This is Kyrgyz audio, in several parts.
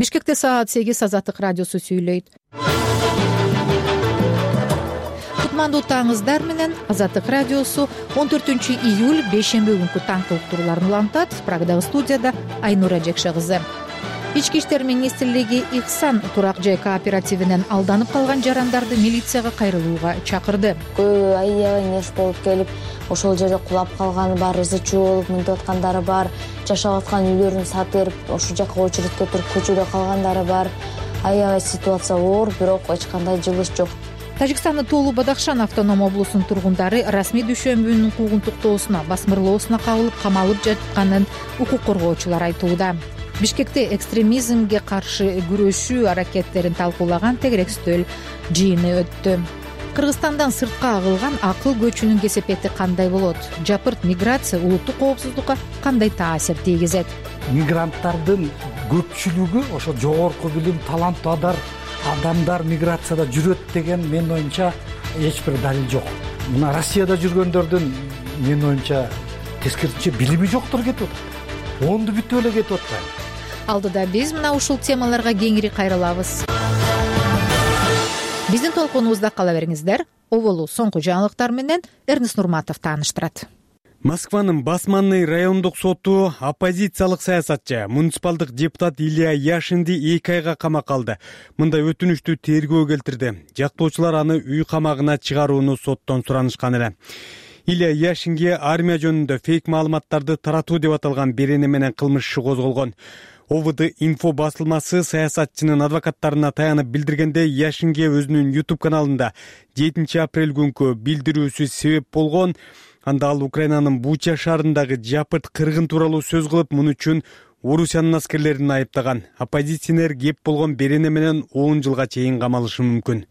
Бишкекте саат 8 Азаттык радиосу сүйлөйт. Кутмандуу таңыздар менен Азаттык радиосу 14 июль бейшемби күнкү таңкы уктурууларын улантат. Прагдагы студияда Айнура Жекше кызы. Ички иштер министрлиги Ихсан турак жай кооперативинен алданып калган жарандарды милицияга кайрылууга чакырды. Көбү аябай нерсе болуп келип, ошол жерде кулап калганы бар, ызы-чуу болуп мынтип аткандары бар, жашап аткан үйлөрүн сатып, ошол жака очередке туруп көчөдө калгандары бар. Аябай ситуация оор, бирок эч кандай жылыш жок. Тажикстандын Тоолу Бадахшан автоном облусунун тургундары расмий дүйшөмбүнүн куугунтуктоосуна, басмырлоосуна кабылып, камалып жатканын укук коргоочулар айтууда. Бишкекте экстремизмге каршы күрөшүү аракеттерин талкуулаган тегерек стөл жыйыны өттү. Кыргызстандан сыртка агылган акыл көчүнүн кесепети кандай болот? Жапырт миграция улуттук коопсуздукка кандай таасир тийгизет? Мигранттардын көпчүлүгү ошо жогорку билим, таланттуу адамдар миграцияда жүрөт деген менин оюмча эч бир далил жок. Мына Россияда жүргөндөрдүн менин оюмча тескерисинче билими жоктор кетип атат. Онду бүтүп эле кетип атпайбы? Алдыда биз мына ушул темаларга кеңири кайрылабыз. Биздин толкунубузда кала бериңиздер. Оболу соңку жаңылыктар менен Эрнест Нурматов тааныштырат. Москванын Басманный райондук соту оппозициялык саясатчы, муниципалдык депутат Илья Яшинди 2 айга камакка алды. Мындай өтүнүштү тергөө келтирди. Жактоочулар аны үй камагына чыгарууну соттон суранышкан эле. Илья Яшинге армия жөнүндө фейк маалыматтарды таратуу деп аталган берене менен кылмыш иши козголгон. ОВД инфо басылмасы саясатчынын адвокаттарына таянып билдиргенде, Яшинге өзүнүн YouTube каналында 7 апрель күнкү билдирүүсү себеп болгон. Анда ал Украинанын Буча шаарындагы жапырт кыргын тууралуу сөз кылып, муну үчүн Орусиянын аскерлерин айыптаган. Оппозиционер кеп болгон берене менен 10 жылга чейин камалышы мүмкүн.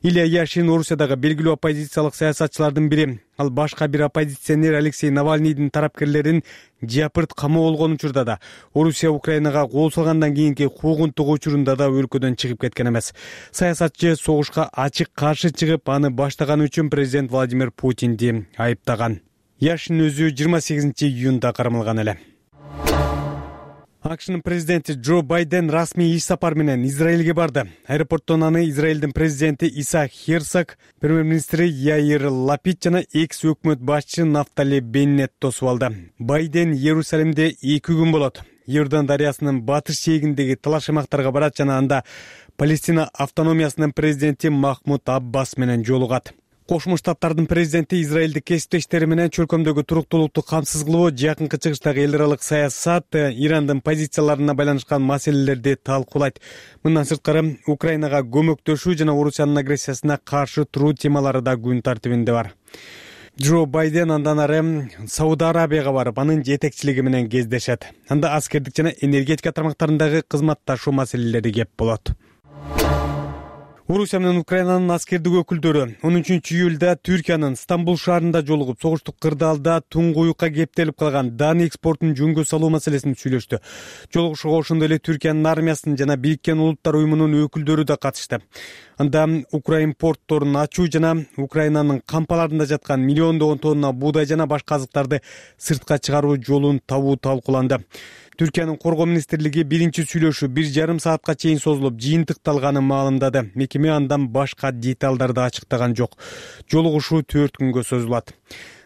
Илья Яшин Орусиядагы белгилүү оппозициялык саясатчылардын бири. Ал башка бир оппозиционер Алексей Навальныйдын тарапкерлерин жапырт камоо болгон учурда да, Орусия Украинага кол салгандан кийинки куугунтук учурунда да өлкөдөн чыгып кеткен эмес. Саясатчы согушка ачык каршы чыгып, аны баштаганы үчүн президент Владимир Путинди айыптаган. Яшин өзү 28 июнда кармалган эле. АКШнын президенти Джо Байден расмий иш сапар менен Израилге барды. Аэропорттон аны Израилдин президенти Исаак Херцог, премьер-министри Яир Лапид жана экс-өкмөт башчы Нафтали Беннет тосуп алды. Байден Иерусалимде 2 күн болот. Иордан дарыясынын батыш жээгиндеги талаш аймактарга барат жана анда Палестина автономиясынын президенти Махмуд Аббас менен жолугат. Кошмо Штаттардын президенти Израилдик кесиптештери менен чөлкөмдөгү туруктуулукту камсыз кылуу, жакынкы чыгыштагы эл аралык саясат, Ирандын позицияларына байланышкан маселелерди талкуулайт. Мындан сырткары Украинага көмөктөшүү жана Орусиянын агрессиясына каршы туруу темалары да күн тартибинде бар. Джо Байден андан ары Сауд Арабияга барып, анын жетекчилиги менен кездешет. Анда аскердик жана энергетика тармактарындагы кызматташуу маселелери кеп болот. Орусия менен Украинанын аскердик өкүлдөрү 13 июлда Түркиянын Стамбул шаарында жолугуп, согуштук кырдаалда туңгуюкка кептелип калган дан экспортун жөнгө салуу маселесин сүйлөштү. Жолугушууга ошондой эле Түркиянын армиясынын жана Бириккен Улуттар уюмунун өкүлдөрү да катышты. Анда Украин портторун ачуу жана Украинанын кампаларында жаткан миллиондогон тонна буудай жана башка азыктарды сыртка чыгаруу жолун табуу талкууланды. Түркиянын коргоо министрлиги биринчи сүйлөшүү 1,5 саатка чейин созулуп, жыйынтыкталганын маалымдады. Мекеме андан башка деталдарды ачыктаган жок. Жолугушуу 4 күнгө созулат.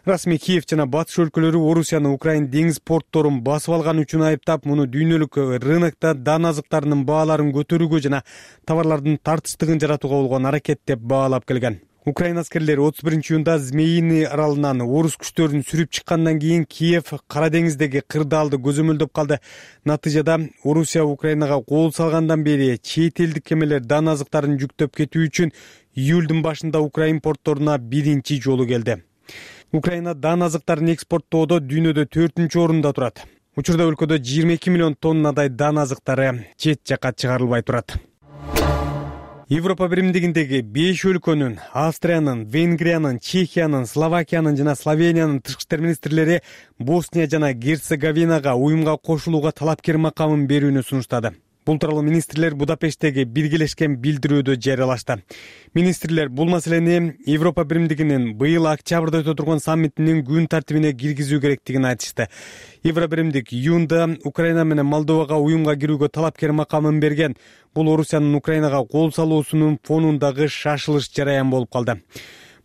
Расмий Киев жана батыш өлкөлөрү Орусияны Украин деңиз портторун басып алган үчүн айыптап, муну дүйнөлүк рынокто дан азыктарынын бааларын көтөрүүгө жана товарлардын тартычтыгын жаратууга болгон аракет деп баалап келген. Украин аскерлери 31 июнда Змеиный аралынан орус күчтөрүн сүрүп чыккандан кийин Киев Кара деңиздеги кырдаалды көзөмөлдөп калды. Натыйжада Орусия Украинага кол салгандан бери чет элдик кемелер дан азыктарын жүктөп кетүү үчүн июлдун башында Украин портторуна биринчи жолу келди. Украина дан азыктарын экспорттоодо дүйнөдө 4-орунда турат. Учурда өлкөдө 22 миллион тоннадай дан азыктары чет жакка чыгарылбай турат. Европа биримдигиндеги 5 өлкөнүн, Австриянын, Венгриянын, Чехиянын, Словакиянын жана Словениянын тышкы иштер министрлери Босния жана Герцеговинага уюмга кошулууга талапкер макамын берүүнү сунуштады. Бул тууралуу министрлер Будапешттеги биргелешкен билдирүүдө жарыялашты. Министрлер бул маселени Европа биримдигинин быйыл октябрда өтө турган саммитинин күн тартибине киргизүү керектигин айтышты. Евробиримдик июнда Украина менен Молдовага уюмга кирүүгө талапкер макамын берген. Бул Орусиянын Украинага кол салуусунун фонундагы шашылыш жараян болуп калды.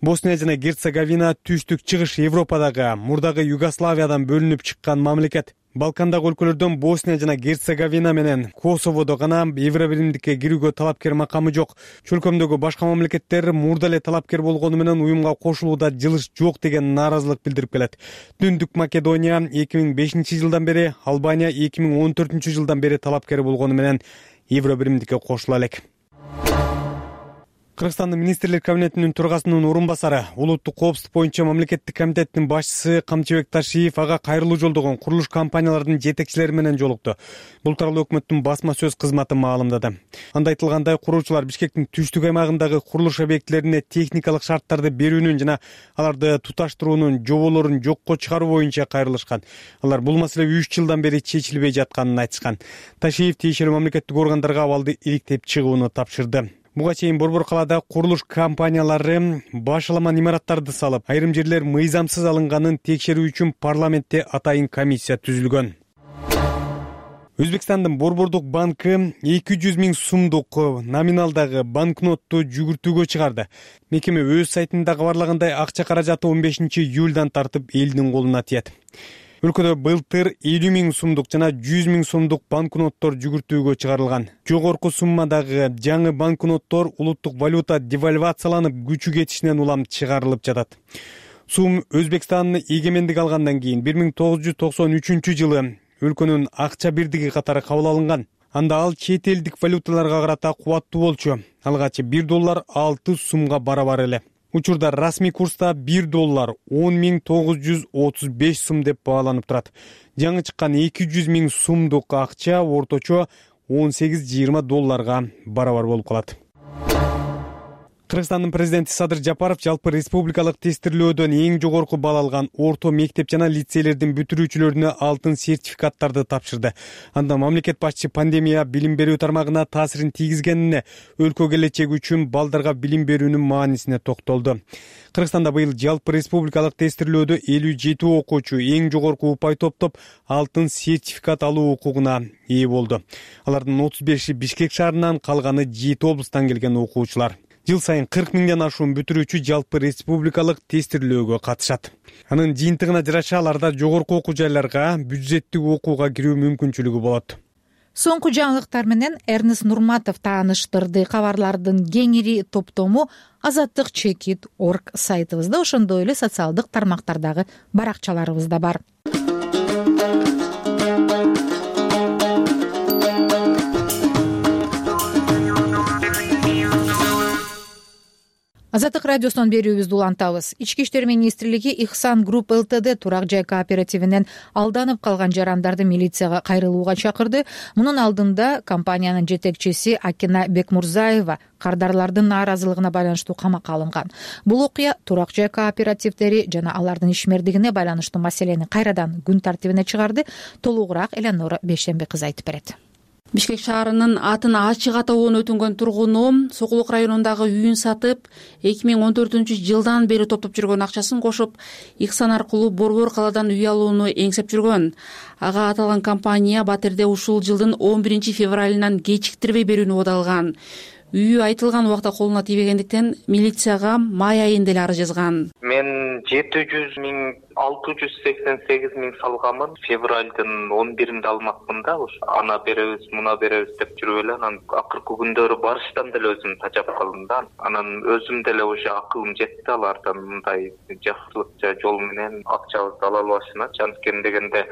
Босния жана Герцеговина түштүк чыгыш Европадагы мурдагы Югославиядан бөлүнүп чыккан мамлекет. Балкандагы өлкөлөрдөн Босния жана Герцеговина менен Косоводо гана Евробиримдикке кирүүгө талапкер макамы жок. Чөлкөмдөгү башка мамлекеттер мурда эле талапкер болгону менен уюмга кошулууда жылыш жок деген нааразылык билдирип келет. Түндүк Македония 2005 жылдан бери, Албания 2014 жылдан бери талапкер болгону менен Евробиримдикке кошула элек. Кыргызстандын министрлер кабинетинин төрагасынын орун басары, улуттук коопсуздук боюнча мамлекеттик комитеттин башчысы Камчыбек Ташиев ага кайрылуу жолдогон курулуш компанияларынын жетекчилери менен жолукту. Бул тууралуу өкмөттүн басма сөз кызматы маалымдады. Анда айтылгандай, куруучулар Бишкектин түштүк аймагындагы курулуш объектилерине техникалык шарттарды берүүнүн жана аларды туташтыруунун жоболорун жокко чыгаруу боюнча кайрылышкан. Алар бул маселе 3 жылдан бери чечилбей жатканын айтышкан. Ташиев тиешелүү мамлекеттик органдарга абалды иликтеп чыгууну тапшырды. Буга чейин Борбор калаада курулуш компаниялары башаламан имараттарды салып, айрым жерлер мыйзамсыз алынганын текшерүү үчүн парламентте атайын комиссия түзүлгөн. Өзбекстандын Борбордук банкы 200 000 сумдук номиналдагы банкнотту жүгүртүүгө чыгарды. Мекеме өз сайтында кабарлагандай, акча каражаты 15 июлдан тартып элдин колуна тиет. Өлкөдө былтыр 50 000 сумдук жана 100 000 сумдук банкноттор жүгүртүүгө чыгарылган. Жогорку суммадагы жаңы банкноттор улуттук валюта девальвацияланып, күчү кетишинен улам чыгарылып жатат. Сум Өзбекстан эгемендик алгандан кийин 1993 жылы өлкөнүн акча бирдиги катары кабыл алынган. Анда ал чет элдик валюталарга карата кубаттуу болчу. Алгачы $1 6 сумга барабар эле. Учурда расмий курста $1 10.935 сум деп бааланып турат. Жаңы чыккан 200 000 сумдук акча орточо $18-20 барабар болуп калат. Кыргызстандын президенти Садыр Жапаров жалпы республикалык тестирлөөдөн эң жогорку балл алган орто мектеп жана лицейлердин бүтүрүүчүлөрүнө алтын сертификаттарды тапшырды. Анда мамлекет башчысы пандемия билим берүү тармагына таасирин тийгизгенине, өлкө келечеги үчүн балдарга билим берүүнүн маанисине токтолду. Кыргызстанда быйыл жалпы республикалык тестирлөөдө 57 окуучу эң жогорку упай топтоп алтын сертификат алуу укугуна ээ болду. Алардын 35-и Бишкек шаарынан, калганы Жийит облустан келген окуучулар. Жыл сайын 40 000ден ашуун бүтүрүүчү жалпы республикалык тестирлөөгө катышат. Анын жыйынтыгына жараша аларда жогорку окуу жайларга бюджеттик окууга кирүү мүмкүнчүлүгү болот. Соңку жаңылыктар менен Эрнест Нурматов тааныштырды. Кабарлардын кеңири топтому azattik.org сайтыбызда, ошондой эле социалдык тармактардагы баракчаларыбызда бар. Азаттык радиосунан берүүбүздү улантабыз. Ички иштер министрлиги Ихсан Групп ЛТД турак жай кооперативинен алданып калган жарандарды милицияга кайрылууга чакырды. Мунун алдында компаниянын жетекчиси Акина Бекмурзаева кардарлардын нааразылыгына байланыштуу камакка алынган. Бул окуя турак жай кооперативдери жана алардын ишмердигине байланыштуу маселени кайрадан күн тартибине чыгарды. Толугураак Элеонора Бейшемби кызы айтып берет. Бишкек шаарынын атын ачык атоогон өтүнгөн тургуну Сокулук районундагы үйүн сатып, 2014 жылдан бери топтоп жүргөн акчасын кошуп, Ихсан аркылуу Борбор калаадан үй алууну эңсеп жүргөн. Ага аталган компания Батирде ушул жылдын 11 февралынан кечиктирбей берүүнү убадалган. Үйү айтылган убакта колуна тийбегендиктен милицияга май айында эле арыз жазган. Мен 700 000 688 000 салганмын. Февралдын 11-inde алмакмын да. Ана беребиз, муна беребиз деп жүрүп эле анан акыркы күндөрү барыштан деле өзүм тажап калдым да. Анан өзүм деле уже акылым жетти алардан мындай жакшылыкча жол менен акчабызды ала албашыначы. Анткени дегенде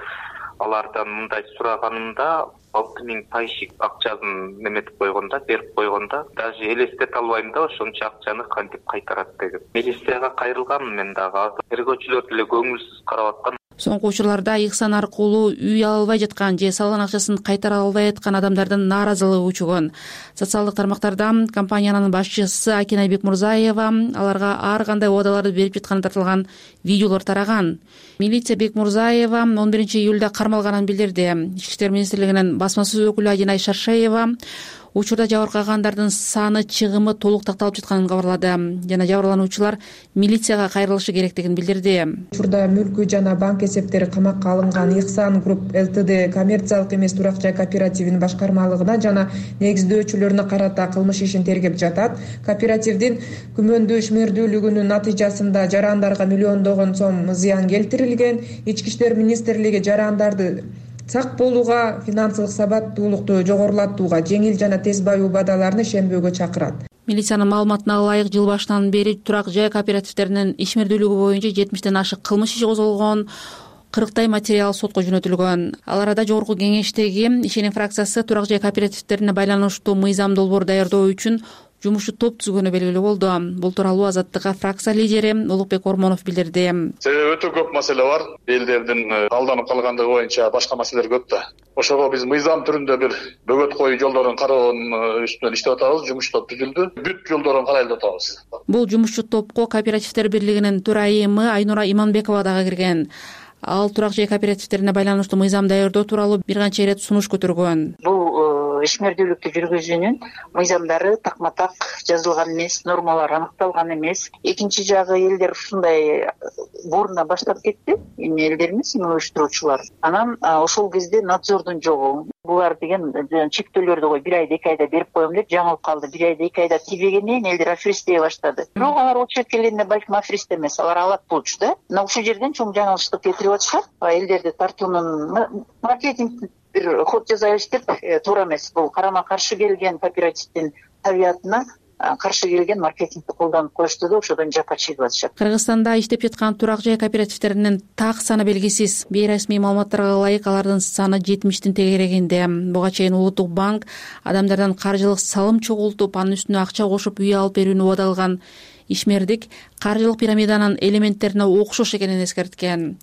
алардан мындай сураганымда 6000 пайшик акчасын неметип койгонда, берип койгонда, даже элестете албайм да ошончо акчаны кантип кайтарат деген. Милицияга кайрылганмын мен дагы. Тергөөчүлөр деле көңүлсүз карап аткан. Соңку учурларда Ихсан аркылуу үй ала албай жаткан же салган акчасын кайтара албай аткан адамдардын нааразылыгы күчөгөн. Социалдык тармактарда компаниянын башчысы Акина Бекмурзаева аларга ар кандай убадаларды берип жатканы тартылган видеолор тараган. Милиция Бекмурзаева 11-июлда кармалганын билдирди. Ички иштер министрлигинин басма сөз өкүлү Адинай Шаршеева учурда жабыркагандардын саны, чыгымы толук такталып жатканын кабарлады жана жабырлануучулар милицияга кайрылышы керектигин билдирди. Учурда мүлкү жана банк эсептери камакка алынган Ихсан Групп ЛТД коммерциялык эмес турак жай кооперативинин башкармалыгына жана негиздөөчүлөрүнө карата кылмыш ишин тергеп жатат. Кооперативдин күмөндүү ишмердүүлүгүнүн натыйжасында жарандарга миллиондогон сом зыян келтирилген. Ички иштер министрлиги жарандарды сак болууга, финансылык сабаттуулукту жогорулатууга, жеңил жана тез баюу убадаларны ишенбөөгө чакырат. Милициянын маалыматына ылайык жыл башынан бери турак жай кооперативдеринин ишмердүүлүгү боюнча 70тен ашык кылмыш иши козголгон, 40 материал сотко жөнөтүлгөн. Ал арада жогорку кеңештеги ишеним фракциясы турак жай кооперативдерине байланыштуу мыйзам долбоор даярдоо үчүн жумушчу топ түзгөнү белгилүү болду. Бул тууралуу Азаттыкка фракция лидери Улукбек Ормонов билдирди. Себеби өтө көп маселе бар. Элдердин алданып калгандыгы боюнча башка маселелер көп да. Ошого биз мыйзам түрүндө бир бөгөт коюу жолдорун кароонун үстүнөн иштеп атабыз. Жумуш топ түзүлдү. Бүт жолдорун карайлап атабыз. Бул жумушчу топко кооперативдер бирлигинин төрайымы Айнура Иманбекова дагы кирген. Ал турак жай кооперативдерине байланыштуу мыйзам даярдоо тууралуу бир канча ирет сунуш көтөргөн. Бул ишмердүүлүктү жүргүзүүнүн мыйзамдары такма-так жазылган эмес, нормалар аныкталган эмес. Экинчи жагы элдер ушундай бурна баштап кетти, эми элдер эмес, уюштуруучулар. Анан ошол кезде надзордун жогу. Булар деген чектөөлөрдү кой 1 айда 2 айда берип коем деп жаңылып калды. 1 айда 2 айда тийбегенден элдер аферист дей баштады. Бирок алар очерет келгенде балким аферист эмес, алар алат болчу да. Мына ушул жерден чоң жаңылыштык кетирип атышат. Элдерди тартуунун маркетинг бир ход жасайбыз деп туура эмес. Бул карама каршы келген кооперативдин табиятына каршы келген маркетингди колдонуп коюшту да ошодон жапа чегип атышат. Кыргызстанда иштеп жаткан турак жай кооперативдеринин так саны белгисиз. Бейресмий маалыматтарга ылайык алардын саны 70тин тегерегинде. Буга чейин Улуттук банк адамдардан каржылык салым чогултуп, анын үстүнө акча кошуп үй алып берүүнү убадалган. Ишмердик каржылык пирамиданын элементтерине окшош экенин эскерткен.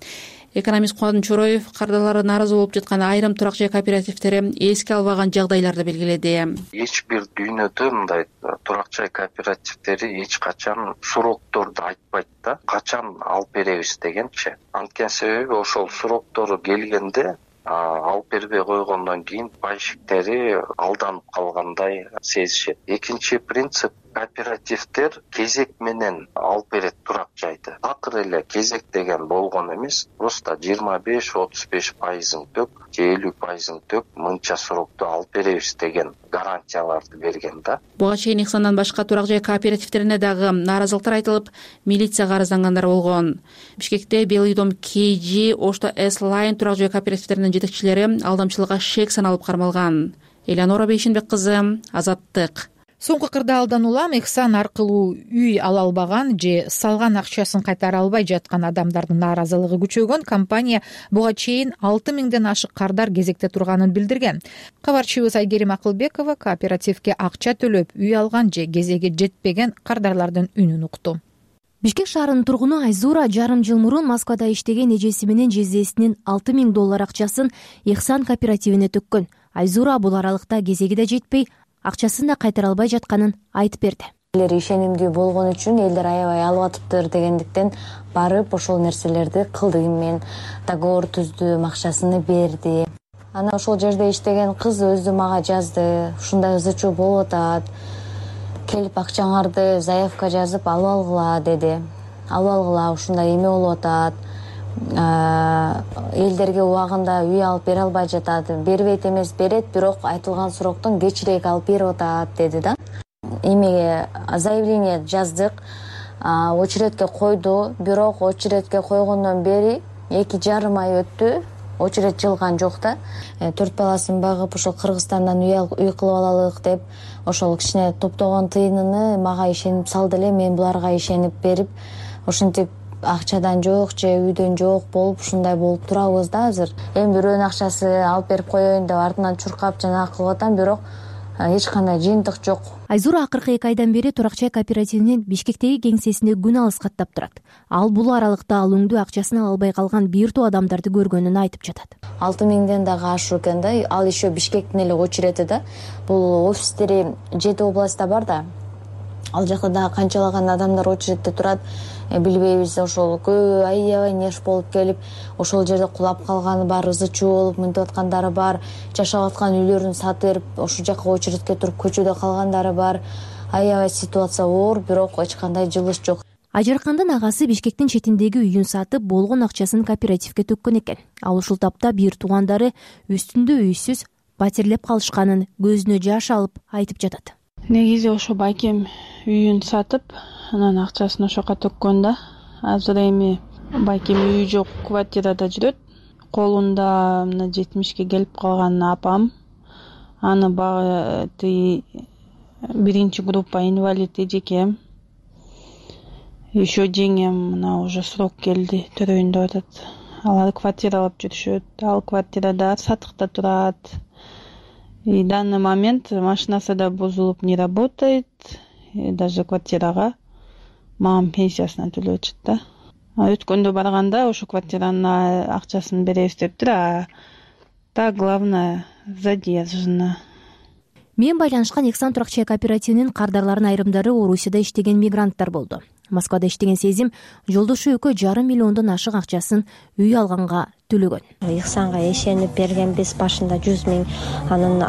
Экономист Кубан Чороев кардарлары нааразы болуп жаткан айрым турак жай кооперативдери эске албаган жагдайларды белгиледи. Эч бир дүйнөдө мындай турак жай кооперативдери эч качан срокторду айтпайт да, качан алып беребиз дегенчи. Анткени себеби ошол сроктору келгенде алып бербей койгондон кийин пайщиктери алданып калгандай сезишет. Экинчи принцип, кооперативдер кезек менен алып берет турак жайды. Такыр эле кезек деген болгон эмес, просто 25-35% төк, же 50% төк мынча срокту алып беребиз деген гарантияларды берген да. Буга чейин Ихсандан башка турак жай кооперативдерине дагы нааразылыктар айтылып, милицияга арыздангандар болгон. Бишкекте Белидом KG, Ошто S-Line турак жай кооперативдеринин жетекчилери алдамчылыкка шек саналып кармалган. Элеонора Бейшенбек кызы, Азаттык. Соңку кырдаалдан улам Ихсан аркылуу үй ала албаган же салган акчасын кайтара албай жаткан адамдардын нааразылыгы күчөгөн. Компания буга чейин 6000ден ашык кардар кезекте турганын билдирген. Кабарчыбыз Айгерим Акылбекова кооперативге акча төлөп үй алган же кезеги жетпеген кардарлардын үнүн укту. Бишкек шаарынын тургуну Айзура жарым жыл мурун Москвада иштеген эжеси менен жездесинин $6000 акчасын Ихсан кооперативине төккөн. Айзура бул аралыкта кезеги да жетпей, акчасын да кайтара албай жатканын айтып берди. Элдер ишенимдүү болгон үчүн элдер аябай алып атыптыр дегендиктен барып ошол нерселерди кылды. Мен договор түздү, акчасын берди. Анан ошол жерде иштеген кыз өзү мага жазды. Ушундай ызы чуу болуп атат. Келип акчаңарды заявка жазып алып алгыла деди. Алып алгыла, ушундай эме болуп атат. Элдерге убагында үй алып бере албай жатат. Бербейт эмес, берет, бирок айтылган сроктон кечирээк алып берип атат деди да. Эмеге заявление жаздык, очередке койду, бирок очередке койгондон бери 2,5 ай өттү. Очеред жылган жок да. 4 баласын багып, ошол Кыргызстандан үй кылып алалык деп, ошол кичине топтогон тыйынын мага ишенип салды эле. Мен буларга ишенип берип, ошентип акчадан жок же үйдөн жок болуп ушундай болуп турабыз да азыр. Эми бирөөнүн акчасы алып берип коеюн деп артынан чуркап жанагы кылып атам, бирок эч кандай жыйынтык жок. Айзура акыркы 2 айдан бери Турак чай кооперативинин Бишкектеги кеңсесинде күн алыс каттап турат. Ал бул аралыкта ал өңдүү акчасын ала албай калган бир топ адамдарды көргөнүн айтып жатат. 6000ден дагы ашуу экен да. Ал еще Бишкектин эле очерети да. Бул офистери 7 областта бар да. Ал жакта дагы канчалаган адамдар очередте турат, билбейбиз. Ошол көбү аябай нерв болуп келип, ошол жерде кулап калганы бар, ызы чуу болуп мынтип аткандары бар, жашап аткан үйлөрүн сатып, ошол жака очередке туруп көчөдө калгандары бар. Аябай ситуация оор, бирок эч кандай жылыш жок. Ажаркандын агасы Бишкектин четиндеги үйүн сатып, болгон акчасын кооперативге төккөн экен. Ал ушул тапта бир туугандары үстүндө үйсүз батирлеп калышканын көзүнө жаш алып айтып жатат. Негизи ошо байкем үйүн сатып, анан акчасын ошоко төккөн да. Азыр эми байкем үйү жок, квартирада жүрөт. Колунда мына 70ке келип калган апам. Аны багы биринчи группа инвалид эжекем. Еще жеңем мына уже срок келди, төрөйүндө атат. Алар квартира алып жүрүшөт. Ал квартирада сатыкта турат. И в данный момент машинасы да бузулуп не работает. И даже квартирага мамам пенсиясынан төлөп атышат да. Өткөндө барганда ошо квартиранын акчасын беребиз дептир, так главное задержано. Мен байланышкан Ихсан турак чай кооперативинин кардарларынын айрымдары Орусияда иштеген мигранттар болду. Москвада иштеген Сезим жолдошу экөө 2,5 миллиондон ашык акчасын үй алганга төлөгөн. Ихсанга ишенип бергенбиз, башында 100 000, анан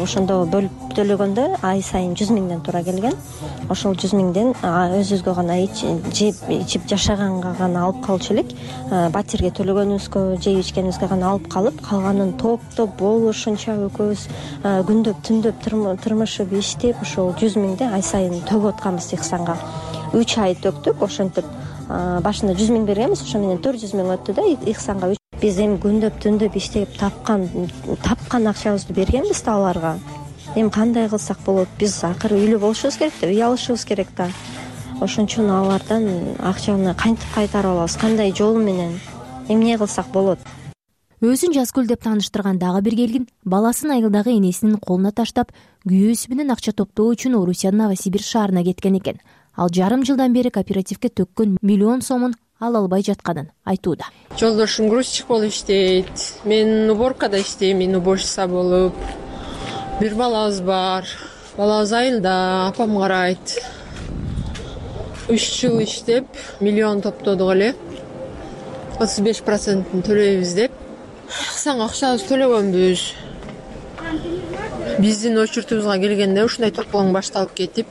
ошондо бөлүп төлөгөндө ай сайын 100 000ден туура келген. Ошол 100 000ден өзүбүзгө гана ичип жашаганга гана алып калчу элек. Батирге төлөгөнүбүзгө, жеп ичкенибизге гана алып калып, калганын топтоп болушунча экөөбүз күндөп түндөп тырмышып иштеп, ошол 100 000ди ай сайын төгүп атканбыз Ихсанга. 3 ай төктүк, ошентип башында 100 000 бергенбиз, ошо менен 400 000 өттү да Ихсанга. Биз эми күндөп түндөп иштеп тапкан акчабызды бергенбиз да аларга. Эми кандай кылсак болот? Биз акыры үйлүү болушубуз керек да, үй алышыбыз керек да. Ошон үчүн алардан акчаны кантип кайтарып алабыз? Кандай жол менен? Эмне кылсак болот? Өзүн Жазгүл деп тааныштырган дагы бир келгин баласын айылдагы энесинин колуна таштап, күйөөсү менен акча топтоо үчүн Орусиянын Новосибирск шаарына кеткен экен. Ал 1,5 жылдан бери кооперативге төккөн миллион сомун ала албай жатканын айтууда. Жолдошум грузчик болуп иштейт. Мен уборкада иштеймин, уборщица болуп. Бир балабыз бар. Балабыз айылда, апам карайт. 3 жыл иштеп, миллион топтодук эле. 35%-ын төлөйбүз деп. Ихсанга акчабызды төлөгөнбүз. Биздин очередибизге келгенде ушундай топлоң башталып кетип,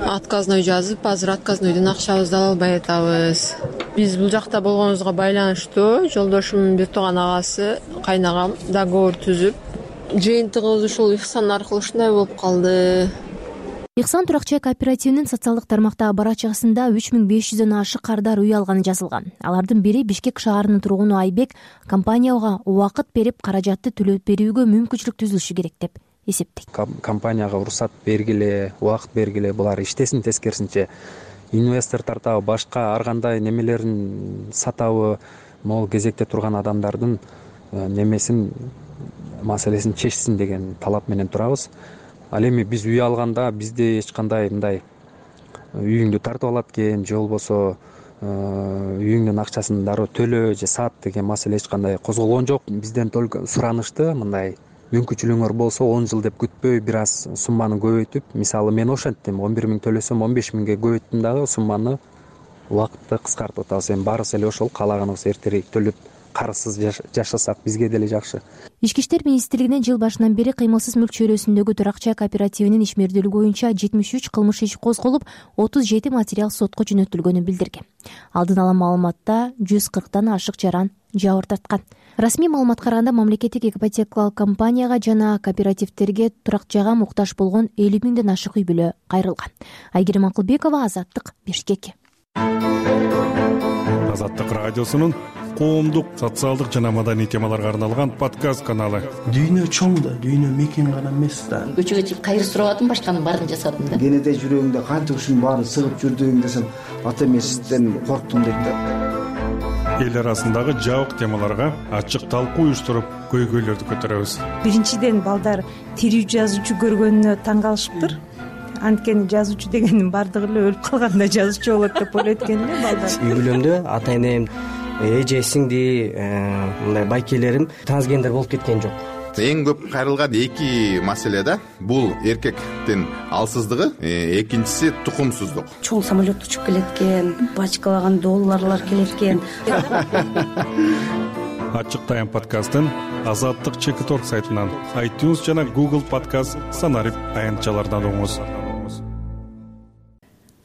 отказной жазып, азыр отказнойдон акчабызды ала албай атабыз. Биз бул жакта болгонубузга байланыштуу жолдошумдун бир тууган агасы, кайнагам договор түзүп, жыйынтыгыбыз ушул Ихсан аркылуу ушундай болуп калды. Ихсан турак чай кооперативинин социалдык тармактагы барачкасында 3500дөн ашык кардар үй алганы жазылган. Алардын бири Бишкек шаарынын тургуну Айбек компанияга убакыт берип, каражатты төлөп берүүгө мүмкүнчүлүк түзүлүшү керек деп эсептейт. Компанияга уруксат бергиле, убакыт бергиле, булар иштесин тескерисинче. Инвестор тартабы, башка ар кандай немелерин сатабы, могул кезекте турган адамдардын немесин маселесин чечсин деген талап менен турабыз. Ал эми биз үй алганда бизде эч кандай мындай үйүңдү тартып алат экен, же болбосо үйүңдүн акчасын дароо төлөө же сат деген маселе эч кандай козголгон жок. Бизден только суранышты мындай мүмкүнчүлүгүңөр болсо 10 жыл деп күтпөй бир аз сумманы көбөйтүп, мисалы мен ошенттим, 11 000 төлөсөм 15 000ге көбөйттүм дагы сумманы, убакытты кыскартып атабыз. Эми баарыбыз эле ошол каалаганыбыз эртерээк төлөп карызсыз жашасак бизге деле жакшы. Ички иштер министрлигинен жыл башынан бери кыймылсыз мүлк чөйрөсүндөгү турак чай кооперативинин ишмердүүлүгү боюнча 73 кылмыш иш козголуп, 37 материал сотко жөнөтүлгөнүн билдирген. Алдын ала маалыматта 140тан ашык жаран жабыр тарткан. Расмий маалыматка караганда мамлекеттик ипотекалык компанияга жана кооперативдерге турак жайга муктаж болгон 50 000ден ашык үй бүлө кайрылган. Айгерим Акылбекова, Азаттык, Бишкек. Азаттык радиосунун коомдук, социалдык жана маданий темаларга арналган подкаст каналы. Дүйнө чоң да, дүйнө мекен гана эмес да. Көчөгө чыгып кайры сурабадым, башканын баарын жасадым да. Кенеде жүрөгүңдө канча ушунун баарын сыгып жүрдүң десем, ата эмесизден корктум дейт да. эл арасындагы жабык темаларга ачык талкуу уюштуруп көйгөйлөрдү көтөрөбүз. Биринчиден балдар тирүү жазуучу көргөнүнө таң калышыптыр. Анткени жазуучу дегендин баардыгы эле өлүп калганда жазуучу болот деп ойлойт экен эле балдар. Үй бүлөмдө ата энем, эже, сиңди, мындай байкелерим трансгендер болуп кеткен жок. Эң көп кайрылган эки маселе да. Бул эркектин алсыздыгы, экинчиси тукумсуздук. Чоң самолет учуп келет экен, бачкалаган долларлар келет экен. Ачык тайм подкастын Азаттык Чекиторг сайтынан, iTunes жана Google подкаст санарип аянтчалардан угуңуз.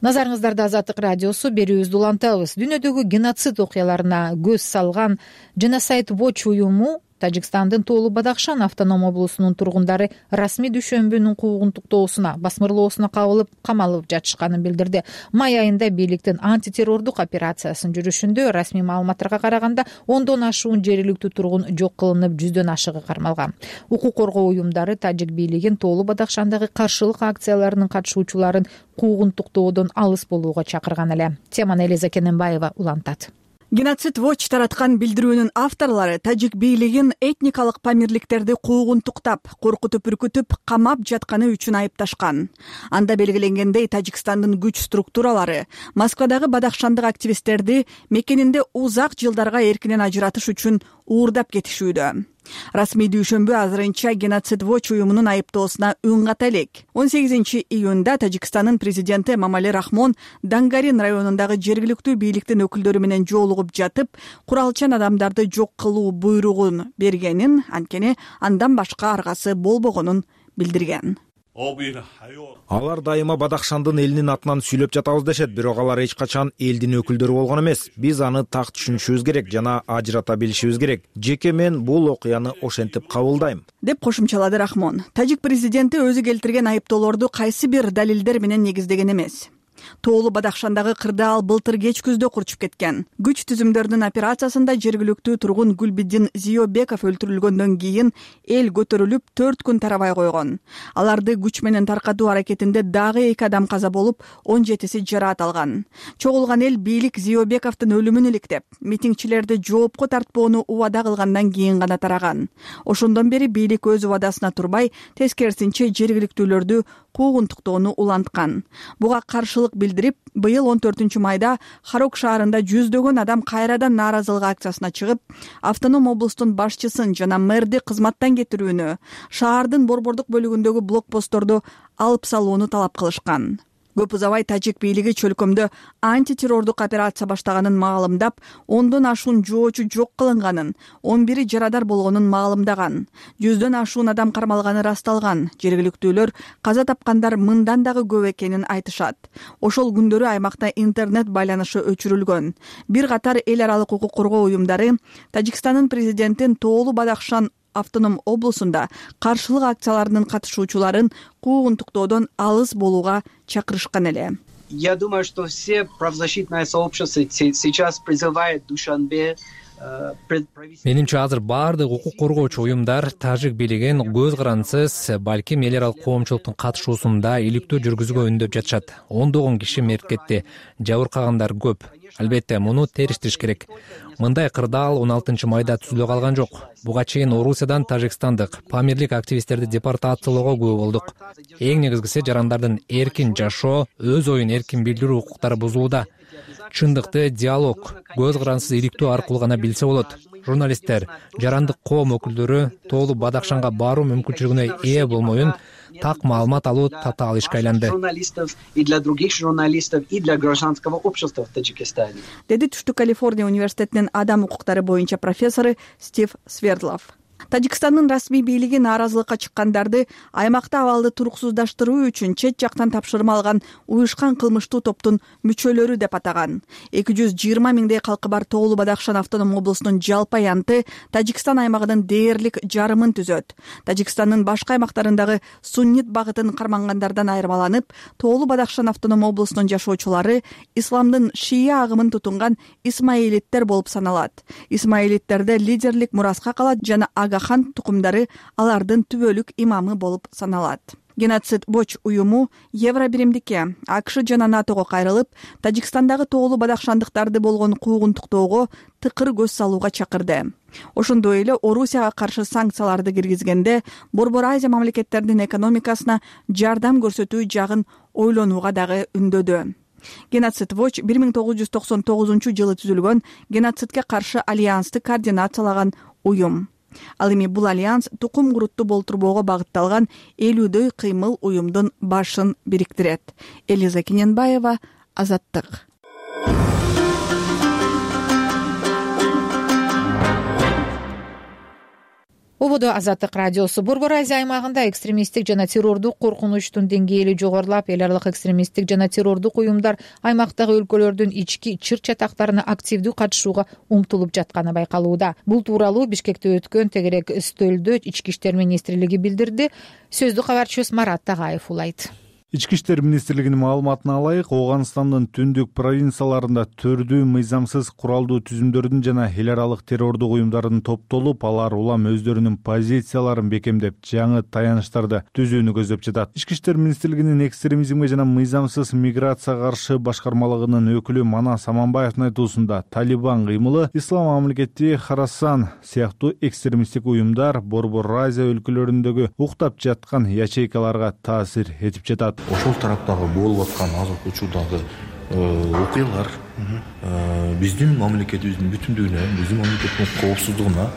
Назарыңыздарда Азаттык радиосу, берүүбүздү улантабыз. Дүйнөдөгү геноцид окуяларына көз салган Genocide Watch уюму Тажикстандын Тоолу Бадахшан автоном облусунун тургундары расмий дүйшөмбүнүн куугунтуктоосуна, басмырлоосуна кабылып, камалып жатышканын билдирди. Май айында бийликтин антитеррордук операциясын жүрүшүндө расмий маалыматтарга караганда 10дон ашуун жергиликтүү тургун жок кылынып, 100дөн ашыгы кармалган. Укук коргоо уюмдары тажик бийлигин Тоолу Бадахшандагы каршылык акцияларынын катышуучуларын куугунтуктоодон алыс болууга чакырган эле. Теманы Элиза Кененбаева улантат. Genocide Watch тараткан билдирүүнүн авторлору тажик бийлигин этникалык памирликтерди куугунтуктап, коркутуп, үркүтүп, камап жатканы үчүн айыпташкан. Анда белгиленгендей, Тажикстандын күч структуралары Москвадагы бадахшандык активисттерди мекенинде узак жылдарга эркинен ажыратыш үчүн уурдап кетишүүдө. Расмий дүйшөмбү азырынча Genocide Watch уюмунун айыптоосуна үн ката элек. 18-июнда Тажикстандын президенти Эмомали Рахмон Дангарин районундагы жергиликтүү бийликтин өкүлдөрү менен жолугуп жатып, куралчан адамдарды жок кылуу буйругун бергенин, анткени андан башка аргасы болбогонун билдирген. Алар дайыма Бадахшандын элинин атынан сүйлөп жатабыз дешет, бирок алар эч качан элдин өкүлдөрү болгон эмес. Биз аны так түшүнүшүбүз керек жана ажырата билишибиз керек. Жеке мен бул окуяны ошентип кабылдайм, деп кошумчалады Рахмон. Тажик президенти өзү келтирген айыптоолорду кайсы бир далилдер менен негиздеген эмес. Тоолу Бадахшандагы кырды ал былтыр кеч күздө курчуп кеткен. Күч түзүмдөрдүн операциясында жергиликтүү тургун Гүлбиддин Зиёбеков өлтүрүлгөндөн кийин эл көтөрүлүп 4 күн тарабай койгон. Аларды күч менен таркатуу аракетинде дагы 2 адам каза болуп, 17си жараат алган. Чогулган эл бийлик Зиёбековдун өлүмүн иликтеп, митингчилерди жоопко тартпоону убада кылгандан кийин гана тараган. Ошондон бери бийлик өз убадасына турбай, тескерисинче жергиликтүүлөрдү куугунтуктоону уланткан. Буга каршылык билдирип, быйыл 14-майда Харок шаарында 100дөгөн адам кайрадан нааразылык акциясына чыгып, автоном облустун башчысын жана мэрди кызматтан кетирүүнү, шаардын борбордук бөлүгүндөгү блокпостторду алып салууну талап кылышкан. Көп узабай тажик бийлиги чөлкөмдө антитеррордук операция баштаганын маалымдап, 10дон ашуун жоочу жок кылынганын, 11 жарадар болгонун маалымдаган. 100дөн ашуун адам кармалганы расталган. Жергиликтүүлөр каза тапкандар мындан дагы көп экенин айтышат. Ошол күндөрү аймакта интернет байланышы өчүрүлгөн. Бир катар эл аралык укук коргоо уюмдары Тажикстандын президентин Тоолу Бадахшан автоном облусунда каршылык акцияларынын катышуучуларын куугунтуктоодон алыс болууга чакырышкан эле. Я думаю, что все правозащитное сообщество сейчас призывает Душанбе. Менимче азыр баардык укук коргоочу уюмдар тажик бийлигин көз карандысыз, балким эл аралык коомчулуктун катышуусунда иликтөө жүргүзүүгө үндөп жатышат. 10догон киши мерт кетти, жабыркагандар көп. Албетте, муну териштириш керек. Мындай кырдаал 16-майда түзүлө калган жок. Буга чейин Орусиядан тажикстандык памирлик активисттерди депортациялоого күбө болдук. Эң негизгиси жарандардын эркин жашоо, өз оюн эркин билдирүү укуктары бузулууда. Чындыкты диалог, көз карандысыз иликтөө аркылуу гана билсе болот. Журналисттер, жарандык коом өкүлдөрү Тоолу Бадахшанга баруу мүмкүнчүлүгүнө ээ болмоюн так маалымат алуу татаал ишке айланды. И для других журналистов, и для гражданского общества в Таджикистане. Деди Түштүк Калифорния университетинин адам укуктары боюнча профессору Стив Свердлов. Тажикстандын расмий бийлиги нааразылыкка чыккандарды аймакта абалды туруксуздаштыруу үчүн чет жактан тапшырма алган уюшкан кылмыштуу топтун мүчөлөрү деп атаган. 220 миңдей калкы бар Тоолу Бадахшан автоном облусунун жалпы аянты Тажикстан аймагынын дээрлик жарымын түзөт. Тажикстандын башка аймактарындагы суннит багытын кармангандардан айырмаланып, Тоолу Бадахшан автоном облусунун жашоочулары исламдын шия агымын тутунган исмаилиттер болуп саналат. Исмаилиттерде лидерлик мураска калат жана Агахан тукумдары алардын түбөлүк имамы болуп саналат. Геноцид Watch уюму Евро биримдикке, АКШ жана НАТОго кайрылып, Тажикстандагы тоолуу бадахшандыктарды болгон куугунтуктоого тыкыр көз салууга чакырды. Ошондой эле Орусияга каршы санкцияларды киргизгенде Борбор Азия мамлекеттеринин экономикасына жардам көрсөтүү жагын ойлонууга дагы үндөдү. Геноцид Watch 1999-жылы түзүлгөн геноцидке каршы альянсты координациялаган уюм. Ал эми бул альянс тукум курутту болтурбоого багытталган 50дөй кыймыл уюмдун башын бириктирет. Элиза Кененбаева, Азаттык. Ободо Азаттык радиосу. Борбор Азия аймагында экстремисттик жана террордук коркунучтун деңгээли жогорулап, эл аралык экстремисттик жана террордук уюмдар аймактагы өлкөлөрдүн ички чыр-чатактарына активдүү катышууга умтулуп жатканы байкалууда. Бул тууралуу Бишкекте өткөн тегерек үстөлдө Ички иштер министрлиги билдирди. Сөздү кабарчыбыз Марат Тагаев улайт. Ички иштер министрлигинин маалыматына алайык, Ооганстандын түндүк провинцияларында төрдүү мыйзамсыз куралдуу түзүмдөрдүн жана эл аралык террордук уюмдардын топтолуп, алар улам өздөрүнүн позицияларын бекемдеп, жаңы таяныштарды түзүүнү көздөп жатат. Ички иштер министрлигинин экстремизмге жана мыйзамсыз миграцияга каршы башкармалыгынын өкүлү Манас Аманбаевдин айтуусунда, Талибан кыймылы, Ислам мамлекети Харасан сыяктуу экстремисттик уюмдар Борбор Азия өлкөлөрүндөгү уктап жаткан ячейкаларга таасир этип жатат. Ошол тараптагы болуп аткан азыркы учурдагы окуялар биздин мамлекетибиздин бүтүндүгүнө, биздин мамлекеттин коопсуздугуна,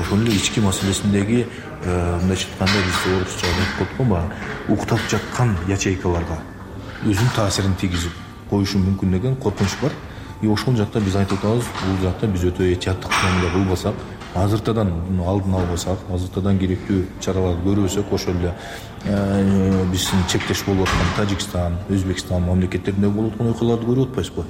ошол эле ички маселесиндеги мындайча айтканда биз орусча айтып коетконбу, уктап жаткан ячейкаларга өзүнүн таасирин тийгизип коюшу мүмкүн деген коркунуч бар. Ошол жакта биз айтып атабыз, бул жакта биз өтө этияттык менен кылбасак, азыртадан алдын албасак, азыртадан керектүү чараларды көрбөсөк, ошол эле биздин чектеш болуп аткан Тажикстан, Өзбекстан мамлекеттеринде болуп аткан окуяларды көрүп атпайсызбы?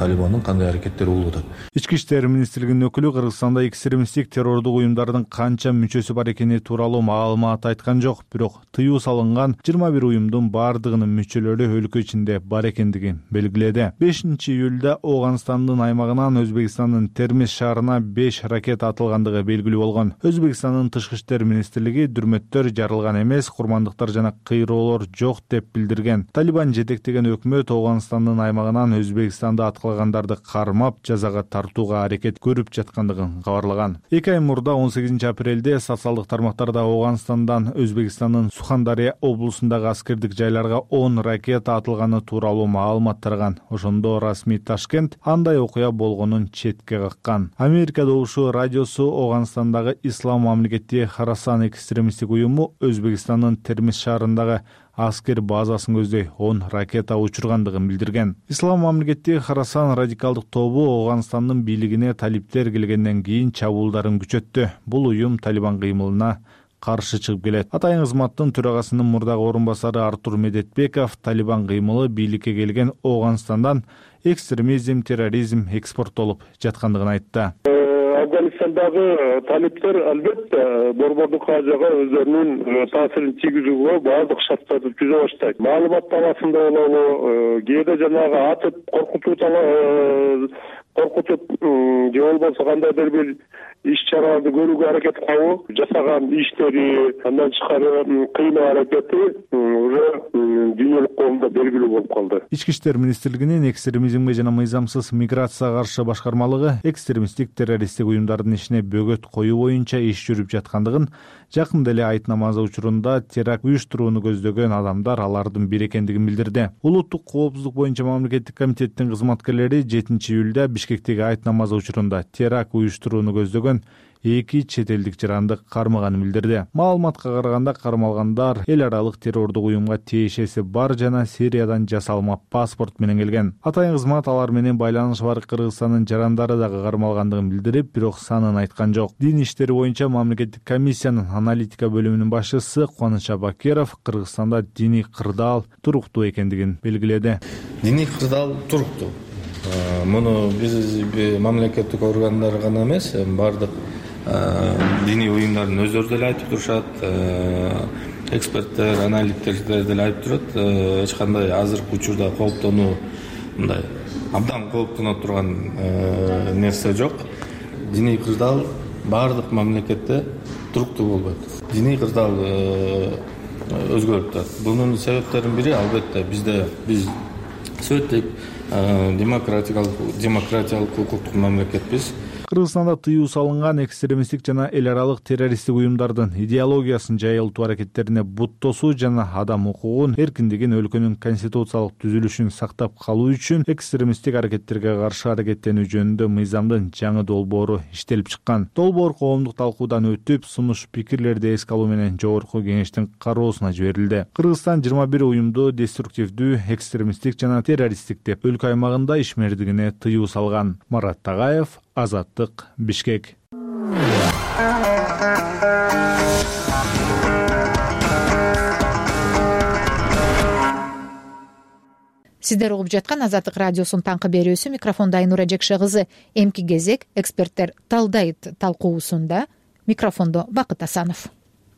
Талибандын кандай аракеттери болуп атат? Ички иштер министрлигинин өкүлү Кыргызстанда экстремисттик террордук уюмдардын канча мүчөсү бар экени тууралуу маалымат айткан жок, бирок тыюу салынган 21 уюмдун бардыгынын мүчөлөрү өлкө ичинде бар экендигин белгиледи. 5-июлда Ооганстандын аймагынан Өзбекстандын Термиз шаарына 5 ракета атылгандыгы белгилүү болгон. Өзбекстандын тышкы иштер министрлиги дүрмөттөр жарылган эмес, курмандыктар жана кыйроолор жок деп билдирген. Талибан жетектеген өкмөт Ооганстандын аймагынан Өзбекстанда аткылгандарды кармап, жазага тартууга аракет көрүп жаткандыгын кабарлаган. 2 ай мурда 18 апрелде социалдык тармактарда Ооганстандан Өзбекстандын Сухандария облусундагы аскердик жайларга 10 ракета атылганы тууралуу маалымат тараган. Ошондо расмий Ташкент андай окуя болгонун четке каккан. Америка добушу радиосу Ооганстандагы Ислам мамлекети Харасан экстремисттик уюму Өзбекстандын Термиз шаарындагы аскер базасын көздөй 10 ракета учургандыгын билдирген. Ислам мамлекети Харасан радикалдык тобу Ооганстандын бийлигине талиптер келгенден кийин чабуулдарын күчөттү. Бул уюм Талибан кыймылына каршы чыгып келет. Атайын кызматтын төрагасынын мурдагы орун басары Артур Медетбеков Талибан кыймылы бийликке келген Ооганстандан экстремизм, терроризм экспорттолуп жаткандыгын айтты. Афганистандагы талиптер албетте Борбордук Азияга өздөрүнүн таасирин тийгизүүгө баардык шарттарды түзө баштайт. Маалымат талаасында болобу, кээде жанагы атып коркутуп же болбосо кандайдыр бир иш-чараларды көрүүгө аракет кылабы, жасаган иштери, андан тышкары кыйноо аракети уже дүйнөлүк коомдо белгилүү болуп калды. Ички иштер министрлигинин экстремизмге жана мыйзамсыз миграцияга каршы башкармалыгы экстремисттик террористтик уюмдардын ишине бөгөт коюу боюнча иш жүрүп жаткандыгын, жакында эле Айт намазы учурунда теракт уюштурууну көздөгөн адамдар алардын бири экендигин билдирди. Улуттук коопсуздук боюнча мамлекеттик комитеттин кызматкерлери 7-июлда Бишкектеги Айт намазы учурунда теракт уюштурууну көздөгөн 2 чет элдик жаранды кармаганын билдирди. Маалыматка караганда кармалгандар эл аралык террордук уюмга тиешеси бар жана Сириядан жасалма паспорт менен келген. Атайын кызмат алар менен байланышы бар Кыргызстандын жарандары дагы кармалгандыгын билдирип, бирок санын айткан жок. Дин иштери боюнча мамлекеттик комиссиянын аналитика бөлүмүнүн башчысы Кубаныч Абакеров Кыргызстанда диний кырдаал туруктуу экендигин белгиледи. Диний кырдаал туруктуу. Муну биз мамлекеттик органдар гана эмес, бардык диний уюмдардын өздөрү деле айтып турушат, эксперттер, аналитиктер деле айтып турат. Эч кандай азыркы учурда кооптонуу, мындай абдан кооптоно турган нерсе жок. Диний кырдаал бардык мамлекетте туруктуу болбойт. Диний кырдаал өзгөрүп турат. Бунун себептеринин бири албетте биз сөйттүк демократиялык укуктук мамлекетпиз. Кыргызстанда тыюу салынган экстремисттик жана эл аралык террористтик уюмдардын идеологиясын жайылтуу аракеттерине бут тосуу жана адам укугун, эркиндигин, өлкөнүн конституциялык түзүлүшүн сактап калуу үчүн экстремисттик аракеттерге каршы аракеттенүү жөнүндө мыйзамдын жаңы долбоору иштелип чыккан. Долбоор коомдук талкуудан өтүп, сунуш пикирлерди эске алуу менен жогорку кеңештин кароосуна жиберилди. Кыргызстан 21 уюмду деструктивдүү, экстремисттик жана террористтик деп өлкө аймагында ишмердигине тыюу салган. Марат Тагаев, Азаттык, Бишкек. Сиздер угуп жаткан Азаттык радиосунун таңкы берүүсү. Микрофондо Айнура Жекше кызы. Эмки кезек эксперттер талдайт талкуусунда. Микрофондо Бакыт Асанов.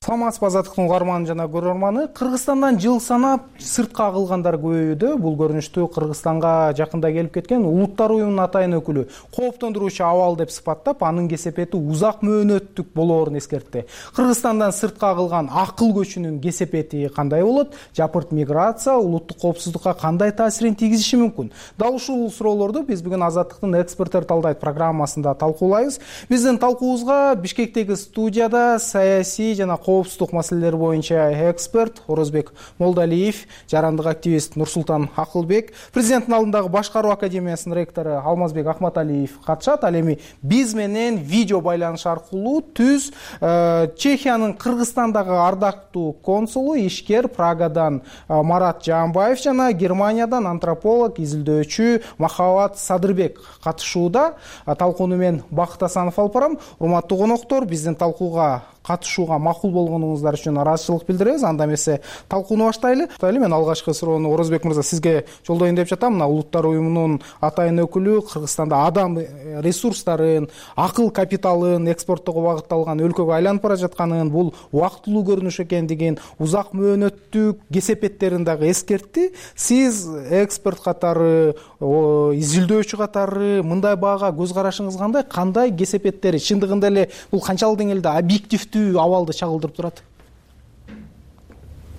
Саламатсызбы Азаттыктын угарманы жана көрөрманы. Кыргызстандан жыл санап сыртка агылгандар көбөйүүдө. Бул көрүнүштү Кыргызстанга жакында келип кеткен Улуттар уюмунун атайын өкүлү кооптондуруучу абал деп сыпаттап, анын кесепети узак мөөнөттүк болоорун эскертти. Кыргызстандан сыртка агылган акыл көчүнүн кесепети кандай болот? Жапырт миграция улуттук коопсуздукка кандай таасирин тийгизиши мүмкүн? Дал ушул суроолорду биз бүгүн Азаттыктын эксперттер талдайт программасында талкуулайбыз. Биздин талкуубузга Бишкектеги студияда саясий жана коопсуздук маселелери боюнча эксперт Орозбек Молдалиев, жарандык активист Нурсултан Акылбек, президенттин алдындагы башкаруу академиясынын ректору Алмазбек Акматалиев катышат. Ал эми биз менен видео байланыш аркылуу түз Чехиянын Кыргызстандагы ардактуу консулу, ишкер Прагадан Марат Жаанбаев жана Германиядан антрополог, изилдөөчү Махабат Садырбек катышууда. Талкууну мен Бакыт Асанов алып барам. Урматтуу коноктор, биздин талкууга катышууга макул болгонуңуздар үчүн ыраазычылык билдиребиз. Анда эмесе талкууну баштайлы. Мен алгачкы суроону Орозбек мырза сизге жолдоюн деп жатам. Мына Улуттар уюмунун атайын өкүлү Кыргызстанда адам ресурстарын, акыл капиталын экспорттоого багытталган өлкөгө айланып бара жатканын, бул убактылуу көрүнүш экендигин, узак мөөнөттүк кесепеттерин дагы эскертти. Сиз эксперт катары, изилдөөчү катары мындай баага көз карашыңыз кандай? Кандай кесепеттери чындыгында эле бул канчалык деңгээлде объективдүү абалды чагылдырып турат?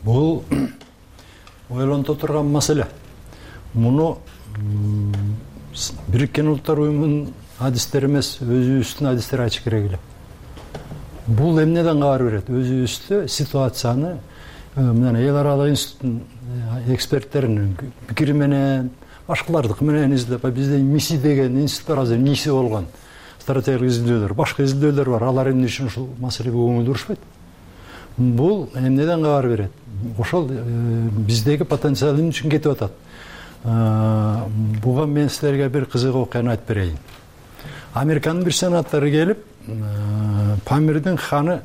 Бул ойлонто турган маселе. Муну Бириккен Улуттар уюмунун адистери эмес, өзүбүздүн адистер айтыш керек эле. Бул эмнеден кабар берет? Өзүбүздө ситуацияны мына эл аралык институттун эксперттеринин пикири менен, башкалардыкы менен издеп, бизде МИСИ деген институттар азыр НИСИ болгон. Стратегиялык изилдөөлөр, башка изилдөөлөр бар. Алар эмне үчүн ушул маселеге көңүл бурушпайт? Бул эмнеден кабар берет? Ошол биздеги потенциал эмне үчүн кетип атат? Буга мен силерге бир кызык окуяны айтып берейин. Американын бир сенатору келип, Памирдин ханы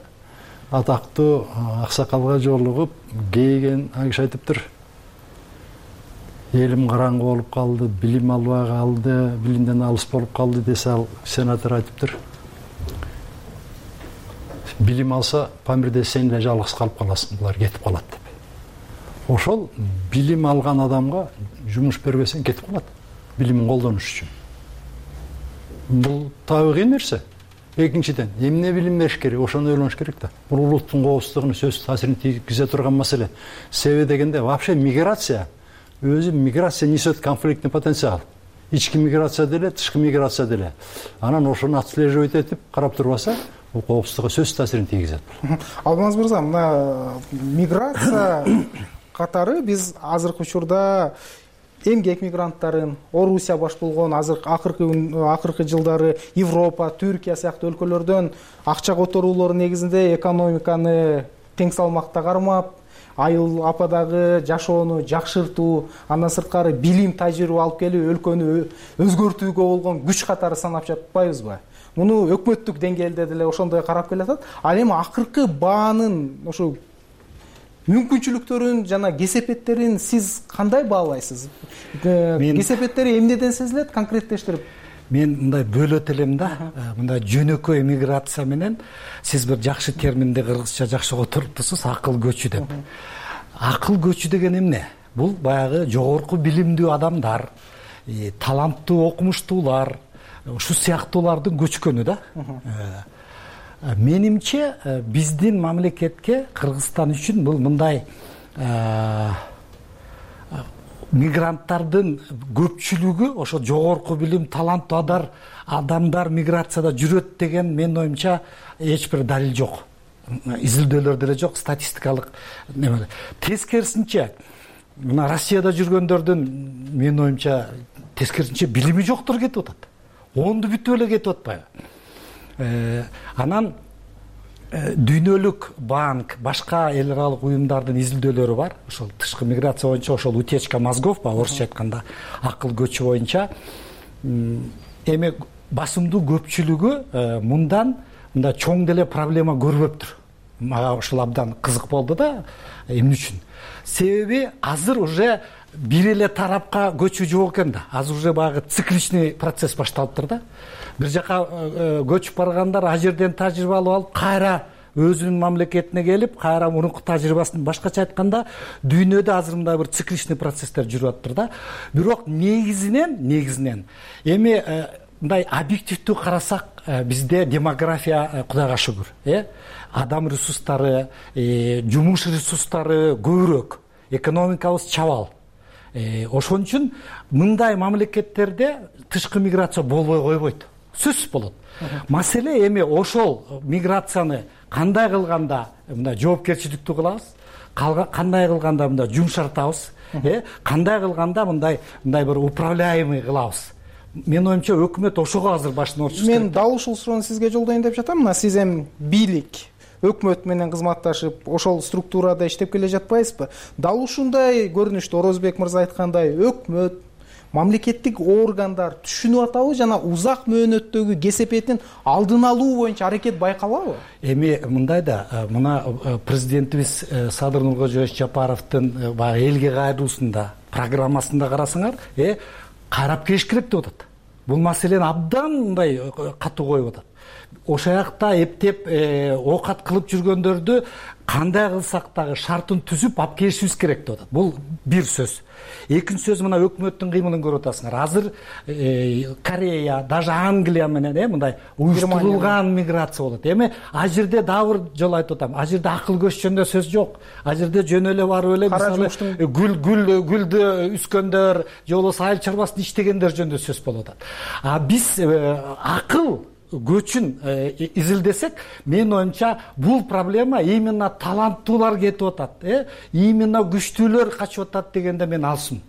атактуу аксакалга жолугуп, кейген киши айтыптыр. Элим караңгы болуп калды, билим албай калды, билимден алыс болуп калды десе, ал сенатор айтыптыр. Билим алса, Памирде сен эле жалгыз калып каласың, булар кетип калат деп. Ошол билим алган адамга жумуш бербесең кетип калат, билимин колдонуш үчүн. Бул табигый нерсе. Экинчиден, эмне билим бериш керек, ошону ойлонуш керек да. Бул улуттун коопсуздугуна сөзсүз таасирин тийгизе турган маселе. Себеби дегенде, вообще миграция өзү миграция несет конфликтный потенциал. Ички миграция деле, тышкы миграция деле. Анан ошону отслеживать этип карап турбаса, бул коопсуздукка сөзсүз таасирин тийгизет. Алмаз мырза, мына миграция катары биз азыркы учурда эмгек мигранттарын, Орусия баш болгон акыркы жылдары Европа, Түркия сыяктуу өлкөлөрдөн акча которуулор негизинде экономиканы тең салмакта кармап, айыл ападагы жашоону жакшыртуу, андан сырткары билим, тажрыйба алып келип, өлкөнү өзгөртүүгө болгон күч катары санап жатпайбызбы? Муну өкмөттүк деңгээлде деле ошондой карап келатат. Ал эми акыркы баанын ошо мүмкүнчүлүктөрүн жана кесепеттерин сиз кандай баалайсыз? Кесепеттери эмнеден сезилет, конкреттештирип? Мен мындай бөлөт элем да, мындай жөнөкөй миграция менен сиз бир жакшы терминди кыргызча жакшы которуптусуз, акыл көчү деп. Акыл көчү деген эмне? Бул баягы жогорку билимдүү адамдар, таланттуу окумуштуулар, ушу сыяктуулардын көчкөнү да. менимче биздин мамлекетке, Кыргызстан үчүн бул мындай мигранттардын көпчүлүгү ошо жогорку билим, таланттуу адамдар миграцияда жүрөт деген менин оюмча эч бир далил жок. Изилдөөлөр деле жок, статистикалык неме. Тескерисинче, мына Россияда жүргөндөрдүн менин оюмча тескерисинче билими жоктор кетип атат. Оонду бүтүп эле кетип атпайбы? Анан дүйнөлүк банк, башка эл аралык уюмдардын изилдөөлөрү бар. Ошол тышкы миграция боюнча, ошол утечка мозгов, орусча айтканда акыл көчү боюнча эми басымдуу көпчүлүгү мындай чоң деле проблема көрбөптүр. Мага ушул абдан кызык болду да, эмне үчүн? Себеби азыр уже бир эле тарапка көчүү жок экен да. Азыр уже баягы цикличный процесс башталыптыр да. Бир жака көчүп баргандар ал жерден тажрыйба алып, кайра өзүнүн мамлекетине келип, кайра мурунку тажрыйбасын, башкача айтканда, дүйнөдө азыр мындай бир цикличный процесстер жүрүп атыптыр да. Бирок негизинен эми мындай объективдүү карасак, бизде демография Кудайга шүгүр, адам ресурстары, жумуш ресурстары көбүрөөк, экономикабыз чабал. Ошон үчүн мындай мамлекеттерде тышкы миграция болбой койбойт. Сөзсүз болот. Маселе эми ошол миграцияны кандай кылганда мындай жоопкерчиликтүү кылабыз, кандай кылганда мындай жумшартабыз, кандай кылганда мындай бир управляемый кылабыз. Менин оюмча өкмөт ошого азыр башын ачыш керек. Мен дал ушул суроону сизге жолдоюн деп жатам. Мына сиз эми бийлик, өкмөт менен кызматташып, ошол структурада иштеп келе жатпайсызбы? Дал ушундай көрүнүштө Орозбек мырза айткандай, өкмөт, мамлекеттик органдар түшүнүп атабы жана узак мөөнөттөгү кесепетин алдын алуу боюнча аракет байкалабы? Эми мындай да, мына президентибиз Садыр Нуркожоевич Жапаровдун баягы элге кайрылуусунда программасында карасаңар, карап келиш керек деп атат. Бул маселени абдан мындай катуу коюп атат. Ошол жакта эптеп оокат кылып жүргөндөрдү кандай кылсак дагы шартын түзүп алып келишибиз керек деп атат. Бул бир сөз. Экинчи сөз, мына өкмөттүн кыймылын көрүп атасыңар. Азыр Корея, даже Англия менен мындай уюштурулган миграция болот. Эми ал жерде дагы бир жолу айтып атам. Ал жерде акыл көч жөнүндө сөз жок. Ал жерде жөн эле барып эле мисалы гүлдү үскөндөр, же болбосо айыл чарбасын иштегендер жөнүндө сөз болуп атат. А биз акыл көчүн изилдесек, менин оюмча бул проблема именно таланттуулар кетип атат, именно күчтүүлөр качып атат дегенде мен алсым.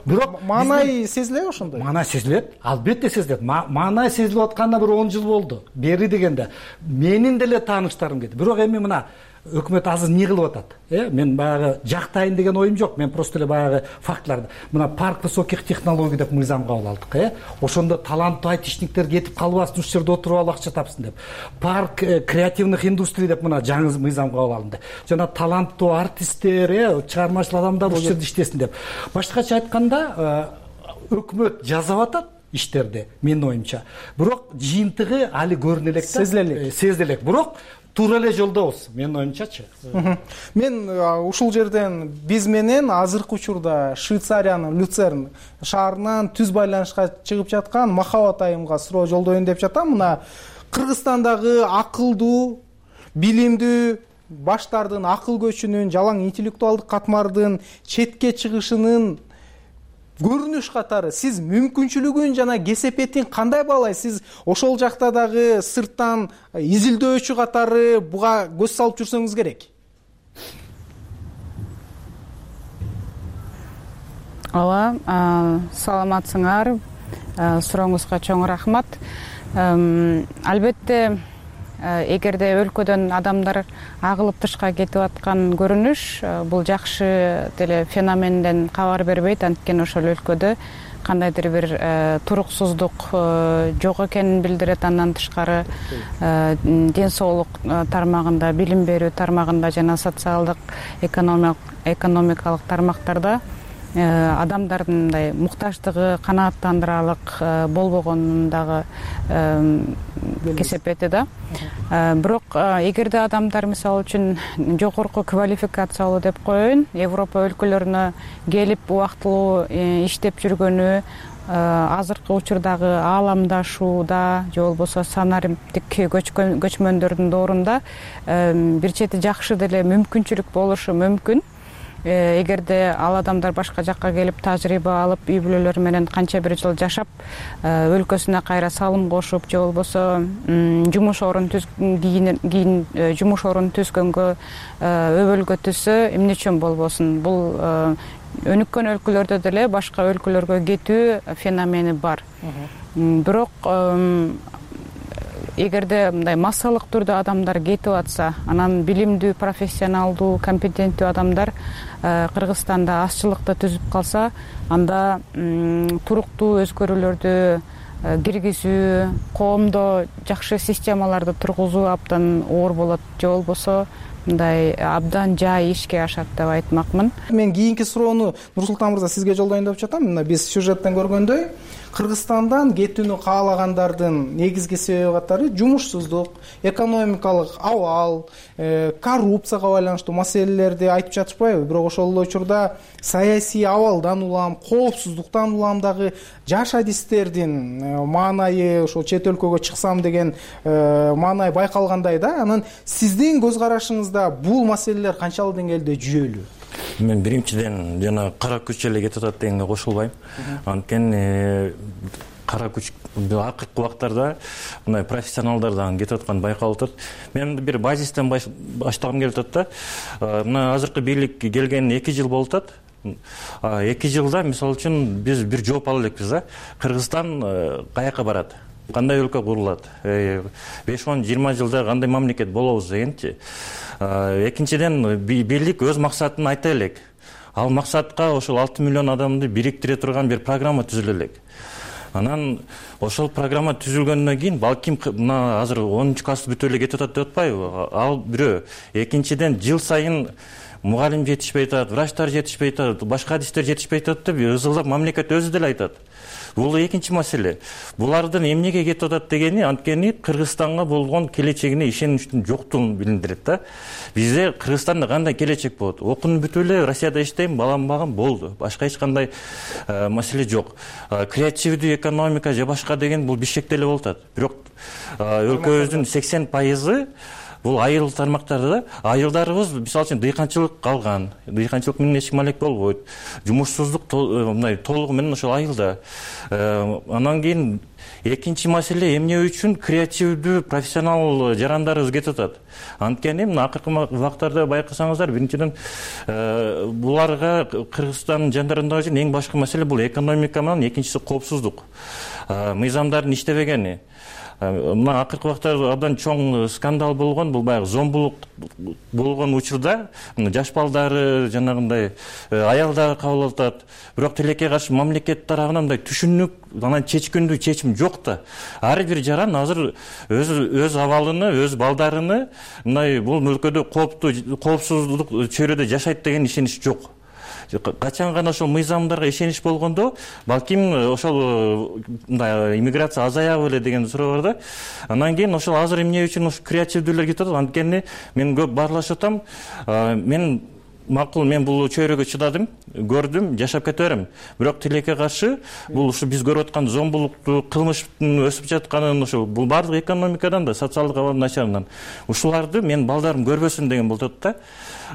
Бирок маанай сезилеби ошондой? Маанай сезилет, албетте сезилет. Маанай сезилип атканына бир 10 жыл болду. Бери дегенде менин деле тааныштарым кетти. Бирок эми мына өкмөт азыр эмне кылып атат? Мен баягы жактайын деген оюм жок. Мен просто эле баягы фактыларды. Мына парк высоких технологий деп мыйзам кабыл алдык, Ошондо таланттуу айтишниктер кетип калбасын, ушул жерде отуруп алып акча тапсын деп. Парк креативных индустрий деп мына жаңы мыйзам кабыл алынды. Жана таланттуу артисттер, чыгармачыл адамдар ушул жерде иштесин деп. Башкача айтканда, өкмөт жасап атат иштерди, менин оюмча. Бирок жыйынтыгы али көрүнө элек да, сезиле элек. Бирок туура эле жолдобуз, менин оюмчачы. Мен ушул жерден биз менен азыркы учурда Швейцариянын Люцерн шаарынан түз байланышка чыгып жаткан Махабат айымга суроо жолдоюн деп жатам. Мына Кыргызстандагы акылдуу, билимдүү баштардын акыл көчүнүн, жалаң интеллектуалдык катмардын четке чыгышынын көрүнүш катары сиз мүмкүнчүлүгүн жана кесепетин кандай баалайсыз? Сиз ошол жакта дагы сырттан изилдөөчү катары буга көз салып жүрсөңүз керек. Ооба, саламатсыңар. Сурооңузга чоң рахмат. Албетте, эгерде өлкөдөн адамдар агылып тышка кетип аткан көрүнүш, бул жакшы деле феноменден кабар бербейт. Анткени ошол өлкөдө кандайдыр бир туруксуздук жок экенин билдирет. Андан тышкары ден соолук тармагында, билим берүү тармагында жана социалдык экономикалык тармактарда адамдардын мындай муктаждыгы канааттандырарлык болбогонун дагы кесепети да. Бирок эгерде адамдар мисалы үчүн жогорку квалификациялуу деп коеюн, Европа өлкөлөрүнө келип убактылуу иштеп жүргөнү, азыркы учурдагы ааламдашууда же болбосо санариптик көчмөндөрдүн доорунда бир чети жакшы деле мүмкүнчүлүк болушу мүмкүн. Эгерде ал адамдар башка жакка келип тажрыйба алып, үй бүлөлөр менен канча бир жыл жашап, өлкөсүнө кайра салым кошуп же болбосо жумуш орун кийин жумуш орун түзгөнгө өбөлгө түзсө эмне үчүн болбосун? Бул өнүккөн өлкөлөрдө деле башка өлкөлөргө кетүү феномени бар. Бирок эгерде мындай массалык түрдө адамдар кетип атса, анан билимдүү, профессионалдуу, компетенттүү адамдар Кыргызстанда азчылыкты түзүп калса, анда туруктуу өзгөрүүлөрдү киргизүү, коомдо жакшы системаларды тургузуу абдан оор болот, же болбосо мындай абдан жай ишке ашат деп айтмакмын. Мен кийинки суроону Нурсултан мырза сизге жолдоюн деп жатам. Мына биз сюжеттен көргөндөй, Кыргызстандан кетүүнү каалагандардын негизги себеп катары жумушсуздук, экономикалык абал, коррупцияга байланыштуу маселелерди айтып жатышпайбы? Бирок ошол эле учурда саясий абалдан улам, коопсуздуктан улам дагы жаш адистердин маанайы, ошол чет өлкөгө чыксам деген маанай байкалгандай да. Анан сиздин көз карашыңызда бул маселелер канчалык деңгээлде жүйөлүү? Мен биринчиден жана кара күч эле кетип атат дегенге кошулбайм. Анткени кара күч акыркы убактарда мындай профессионалдардан кетип атканы байкалып атат. Мен бир базистен баштагым келип атат да. Мына азыркы бийлик келгенине 2 жыл болуп атат. 2 жылда мисалы үчүн биз бир жооп ала элекпиз да. Кыргызстан каяка барат? Кандай өлкө курулат? 5-20 жылда кандай мамлекет болобуз дегенчи. Экинчиден бийлик өз максатын айта элек. Ал максатка ошол 6 миллион адамды бириктире турган бир программа түзүлө элек. Анан ошол программа түзүлгөндөн кийин балким мына азыр 10-класс бүтүп эле кетип атат деп атпайбы? Ал бирөө. Экинчиден жыл сайын мугалим жетишпей атат, врачтар жетишпей атат, башка адистер жетишпей атат деп ызылдап мамлекет өзү деле айтат. Бул экинчи маселе. Булардын эмнеге кетип атат дегени анткени Кыргызстанга болгон келечегине ишеничтин жоктугун билдирет да. Бизде Кыргызстанда кандай келечек болот? Окунуп бүтүп эле Россияда иштейм, балам багам болду. Башка эч кандай маселе жок. Креативдүү экономика же башка деген бул Бишкекте эле болуп атат. Бирок өлкөбүздүн 80% бул айыл тармактары да. Айылдарыбыз мисалы үчүн дыйканчылык калган. Дыйканчылык менен эч маек болбойт. Жумушсуздук мындай толугу менен ошол айылда. Анан кийин экинчи маселе эмне үчүн креативдүү профессионал жарандарыбыз кетип атат. Анткени мына акыркы убактарда байкасаңыздар, биринчиден буларга Кыргызстандын жандарында үчүн эң башкы маселе бул экономика менен, экинчиси коопсуздук. Мыйзамдардын иштебегени. Мына акыркы убактарда абдан чоң скандал болгон, бул баягы зомбулук болгон учурда жаш балдары жанагындай аялдар кабыл атат. Бирок тилекке каршы мамлекет тарабынан мындай түшүнүк, анан чечкиндүү чечим жок да. Ар бир жаран азыр өз абалыны, өз балдарыны мындай бул өлкөдө коопсуздук чөйрөдө жашайт деген ишенич жок. Качан гана ошол мыйзамдарга ишенич болгондо, балким ошол мындай иммиграция азаябы эле деген суроо бар да. Анан кийин ошол азыр эмне үчүн ошо креативдүүлөр кетип атат? Анткени мен көп баарлашып атам. Мен макул, мен бул чөйрөгө чыдадым, көрдүм, жашап кете берем. Бирок тилекке каршы бул ушу биз көрүп аткан зомбулукту, кылмыштын өсүп жатканын, ушул бул бардык экономикадан да, социалдык абалдын начарынан. Ушуларды мен балдарым көрбөсүн деген болуп атат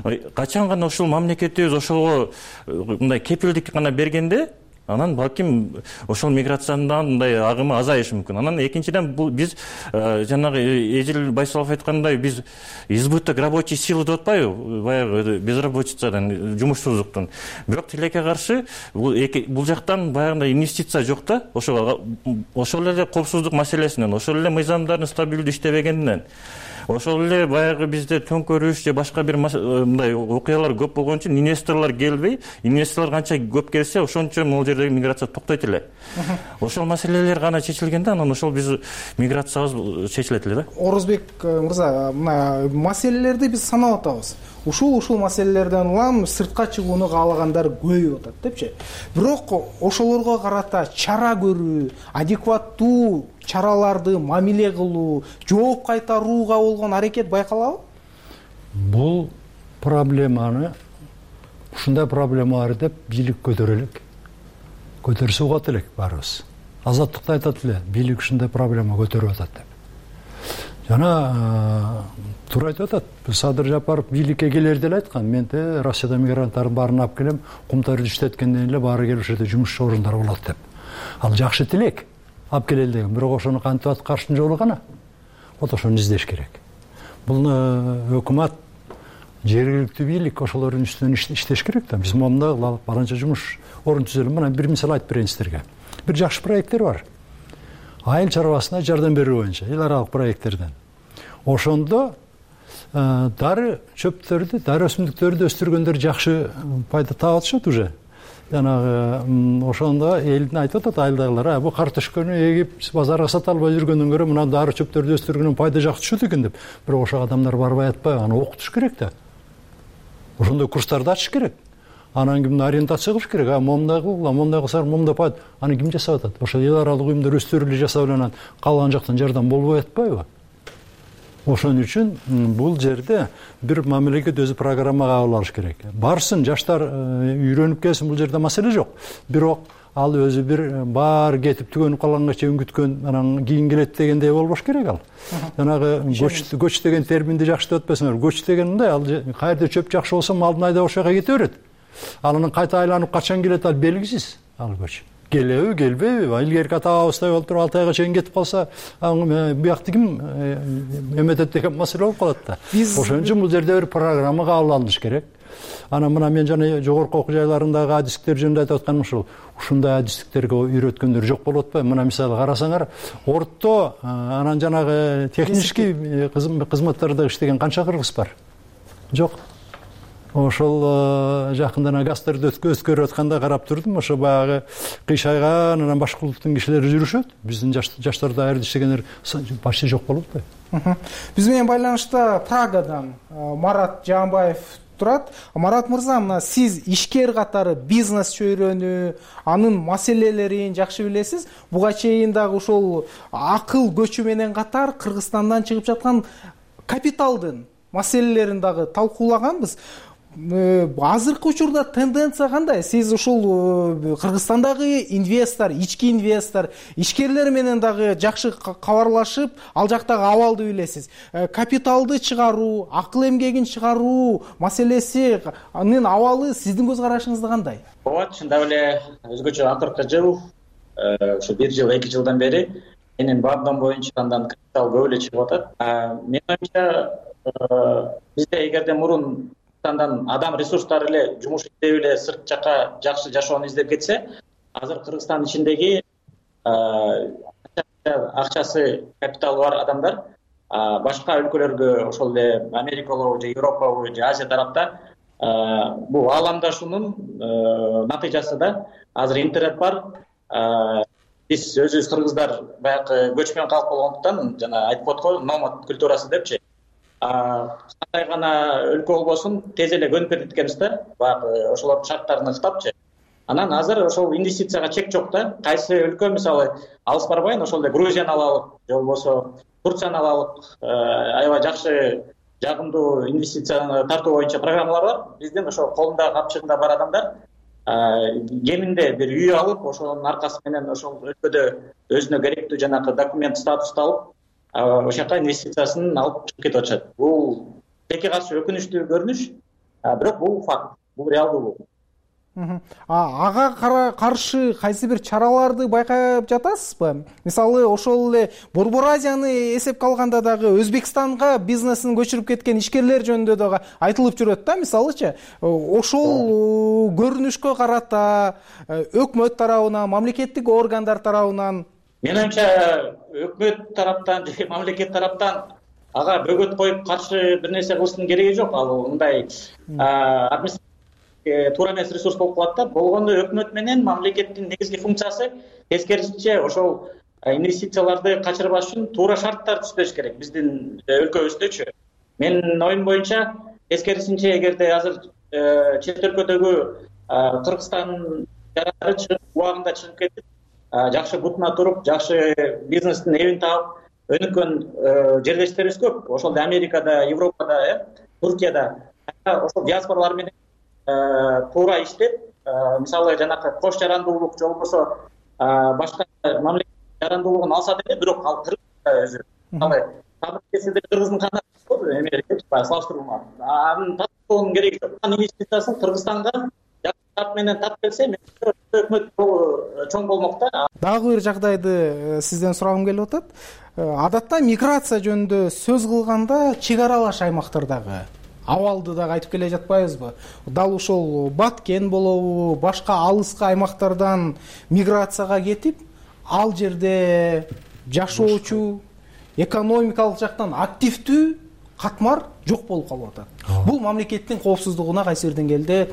да. Качан гана ушул мамлекетибиз ошого мындай кепилдик гана бергенде, анан балким ошол миграциянын мындай агымы азайышы мүмкүн. Анан экинчиден бул биз жанагы Эжил Байсалов айткандай, биз избыток рабочей силы деп атпайбы? Баягы безработицадан, жумушсуздуктун. Бирок тилекке каршы бул жактан баягындай инвестиция жок да. Ошол эле коопсуздук маселесинен, ошол эле мыйзамдардын стабилдүү иштебегенинен, ошол эле баягы бизде төңкөрүш же башка бир мындай окуялар көп болгон үчүн инвесторлор келбей, инвесторлор канча көп келсе, ошончо могул жердеги миграция токтойт эле. Ошол маселелер гана чечилгенде, анан ошол биз миграциябыз чечилет эле да. Орузбек мырза, мына маселелерди биз санап атабыз. Ушул маселелерден улам сыртка чыгууну каалагандар көбөйүп атат депчи. Бирок ошолорго карата чара көрүү, адекваттуу чараларды мамиле кылуу, жооп кайтарууга болгон аракет байкалабы? Бул проблеманы, ушундай проблема бар деп бийлик көтөрө элек. көтөрсө угат элек баарыбыз. Азаттыкта айтат эле, бийлик ушундай проблема көтөрүп атат деп. Жана туура айтып атат. Садыр Жапаров бийликке келерде эле айткан, мен Россияда мигранттардын баарын алып келем, кумтарды иштеткенден эле баары келип ушерде жумуш орундары болот деп. Ал жакшы тилек алып келели деген, бирок ошону кантип аткарыштын жолу гана. Вот ошону издеш керек. Бул өкмөт, жергиликтүү бийлик ошолордун үстүнөн иштеш керек да. Биз момунда баланча жумуш орун түзөлүп, мына бир мисал айтып берейин сиздерге. Бир жакшы проекттер бар. Айыл чарбасына жардам берүү боюнча, эл аралык проекттерден. Ошондо дары чөптөрдү, дары өсүмдүктөрдү өстүргөндөр жакшы пайда таап атышат уже. Жанагы ошондо элдин айтып атат айылдагылар, бу картошканы эгип базарга сата албай жүргөндөн көрө мына дары чөптөрдү өстүргөндөн пайда жакшы түшөт экен деп. Бирок ошол адамдар барбай атпайбы, аны окутуш керек да. Ошондой курстарды ачыш керек. Анан кимди ориентация кылыш керек. Момундай кылгыла, момундай кылсаң момундай пайда. Аны ким жасап атат? Ошо эл аралык уюмдар өздөрү эле жасап анан калган жактан жардам болбой атпайбы? Ошон үчүн бул жерде бир мамлекет өзү программа кабыл алыш керек. Барсын, жаштар үйрөнүп келсин, бул жерде маселе жок. Бирок ал өзү бир баары кетип түгөнүп калганга чейин күткөн, анан кийин келет дегендей болбош керек ал. Жанагы көч деген терминди жакшы деп атпайсыңар. Көч деген мындай, ал каерде чөп жакшы болсо малдын айдап ошол жака кете берет. Ал анан кайта айланып качан келет ал белгисиз. Ал көч келеби, келбейби? Илгерки ата-бабыздай болуп туруп 6 айга чейин кетип калса, буякты ким эметет деген маселе болуп калат да. Ошон үчүн бул жерде бир программа кабыл алыныш керек. Анан мына мен жана жогорку окуу жайларындагы адистиктер жөнүндө айтып атканым ушул. Ушундай адистиктерге үйрөткөндөр жок болуп атпайбы? Мына мисалы карасаңар, орто анан жанагы технический кызматтарда иштеген канча кыргыз бар? Жок. Ошол жакында гастарды өткөрүп атканда карап турдум. Ошо баягы кыйшайган анан башка улуттун кишилери жүрүшөт. Биздин жаштарда айры иштегендер почти жок болуп атпайбы? Биз менен байланышта Прагадан Марат Жаанбаев турат. Марат мырза, мына сиз ишкер катары бизнес чөйрөнү, анын маселелерин жакшы билесиз. Буга чейин дагы ошол акыл көчү менен катар Кыргызстандан чыгып жаткан капиталдын маселелерин дагы талкуулаганбыз. Азыркы учурда тенденция кандай? Сиз ушул Кыргызстандагы инвестор, ички инвестор, ишкерлер менен дагы жакшы кабарлашып, ал жактагы абалды билесиз. Капиталды чыгаруу, акыл эмгегин чыгаруу маселеси, анын абалы сиздин көз карашыңызда кандай? Ооба, чындап эле өзгөчө акыркы жыл, ушу 1 жыл, 2 жылдан бери менин баамдам боюнча андан капитал көп эле чыгып атат. Менин оюмча бизде эгерде мурун адам ресурстары эле жумуш издеп эле сырт жака жакшы жашоону издеп кетсе, азыр Кыргызстан ичиндеги акчасы, капиталы бар адамдар башка өлкөлөргө, ошол эле Америкалабы же Европабы же Азия тарапта бул ааламдашуунун натыйжасы да. Азыр интернет бар. Биз өзүбүз кыргыздар баягы көчмөн калк болгондуктан жана айтып коет го, номад культурасы депчи. Кандай гана өлкө болбосун тез эле көнүп кетет экенбиз да, баягы ошолордун шарттарын ыктапчы. Анан азыр ошол инвестицияга чек жок да. Кайсы өлкө, мисалы, алыс барбайын, ошол эле Грузияны алалык, же болбосо Турцияны алалык, аябай жакшы жагымдуу инвестицияны тартуу боюнча программалар бар. Биздин ошо колунда капчыгында бар адамдар кеминде бир үй алып, ошонун аркасы менен ошол өлкөдө өзүнө керектүү жанагы документ статусту алып, ошол жака инвестициясын алып чыгып кетип атышат. Бул теке каршы өкүнүчтүү көрүнүш, бирок бул факт, бул реалдуу. Ага каршы кайсы бир чараларды байкап жатасызбы? Мисалы, ошол эле Борбор Азияны эсепке алганда дагы Өзбекстанга бизнесин көчүрүп кеткен ишкерлер жөнүндө дагы айтылып жүрөт да, мисалычы. Ошол көрүнүшкө карата өкмөт тарабынан, мамлекеттик органдар тарабынан, менин оюмча, өкмөт тараптан же мамлекет тараптан ага бөгөт коюп каршы бир нерсе кылыштын кереги жок. Ал мындай туура эмес ресурс болуп калат да. Болгондо өкмөт менен мамлекеттин негизги функциясы тескерисинче ошол инвестицияларды качырбаш үчүн туура шарттар түзүш керек биздин өлкөбүздөчү. Менин оюм боюнча тескерисинче, эгерде азыр чет өлкөдөгү Кыргызстан жарары чыгып, убагында чыгып кетип, жакшы бутуна туруп, жакшы бизнестин эбин таап өнүккөн жерлештерибиз көп. Ошол Америкада, Европада, Туркияда ошол диаспоралар менен туура иштеп, мисалы жанакы кош жарандуулук же болбосо башка мамлекет жарандуулугун алса деле, бирок ал Кыргызда өзү мисалы табиде Кыргыздын кандай эмеге салыштырмалуу анын татуулугунун кереги жок. Инвестициясын Кыргызстанга жакын менен тап келсе, өкмөт чоң болмок да. Дагы бир жагдайды сизден сурагым келип атат. Адатта миграция жөнүндө сөз кылганда чек аралаш аймактардагы абалды дагы айтып келе жатпайбызбы? Дал ушул Баткен болобу, башка алыскы аймактардан миграцияга кетип, ал жерде жашоочу, экономикалык жактан активдүү катмар жок болуп калып атат. Бул мамлекеттин коопсуздугуна кайсы бир деңгээлде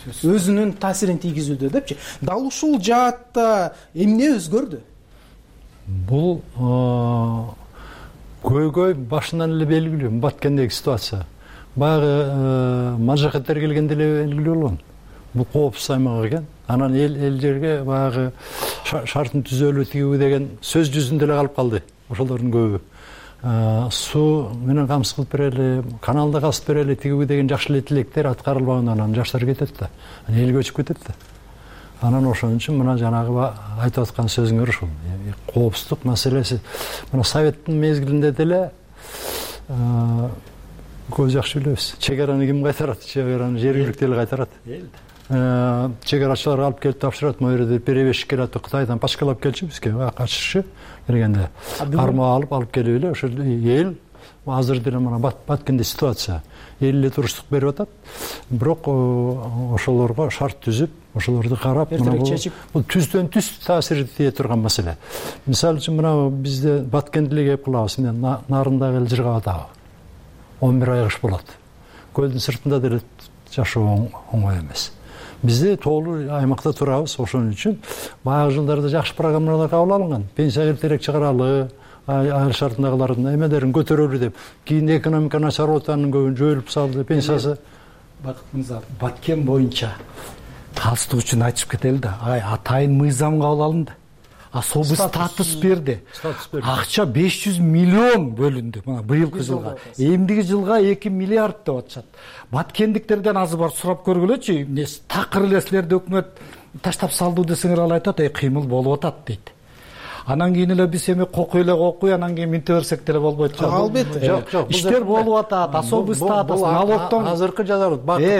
өзүнүн таасирин тийгизүүдө депчи. Дал ушул жаатта эмне өзгөрдү? Бул көйгөй башынан эле белгилүү. Баткендеги ситуация баягы мажахеттер келгенде эле белгилүү болгон. Бул коопсуз аймак экен. Анан эл жерге баягы шартын түзөлүү тигүү деген сөз жүзүндө эле калып калды. Ошолордун көбү суу менен камсыз кылып берели, каналды казып берели тигүү деген жакшы эле тилектер аткарылбагандан анан жаштар кетет да, эл көчүп кетет да. Анан ошон үчүн мына жанагы айтып аткан сөзүңөр ушул коопсуздук маселеси. Мына советтин мезгилинде деле көз жакшы билебиз. Чек араны ким кайтарат? Чек араны жергиликтүү эл кайтарат. Чек арачылар алып келип тапшырат. Могу жерде перевозчик келип атат, Кытайдан пачкалап келчү бизге, качышчы бергенде. Карма алып келип эле ошол эл азыр деле мына Баткенде ситуация. Эл эле туруштук берип атат. Бирок ошолорго шарт түзүп, ошолорду карап, бул түздөн түз таасир тие турган маселе. Мисалы үчүн мына бизде Баткенде эле кеп калабыз. Мен нарындагы эл жыргап атабы. 11 ай кыш болот. Көлдүн сыртында деле жашоо оңой эмес. Бизде тоолуу аймакта турабыз, ошон үчүн баягы жылдарда жакшы программалар кабыл алынган. Пенсия эртерээк чыгаралы, айыл шартындагылардын эмелерин көтөрөлү деп. Кийин экономика начар болуп анын көбүн жоюлуп салды, пенсиясы. Бакыт мырза, Баткен боюнча таалсыздык үчүн айтышып кетели да. Атайын мыйзам кабыл алынды. Особый статус берди. Акча 500 миллион бөлүндү. Мына быйылкы жылга. Эмдиги жылга 2 миллиард деп атышат. Баткендиктерден азыр бар сурап көргүлөчү. Такыр эле силерди өкмөт таштап салды десеңер ал айтат, кыймыл болуп атат дейт. Анан кийин эле биз эми кокуй, анан кийин минте берсек деле болбойт. Албетте. Жок, иштер болуп атат. Особый статус, налогтон азыркы жадыр.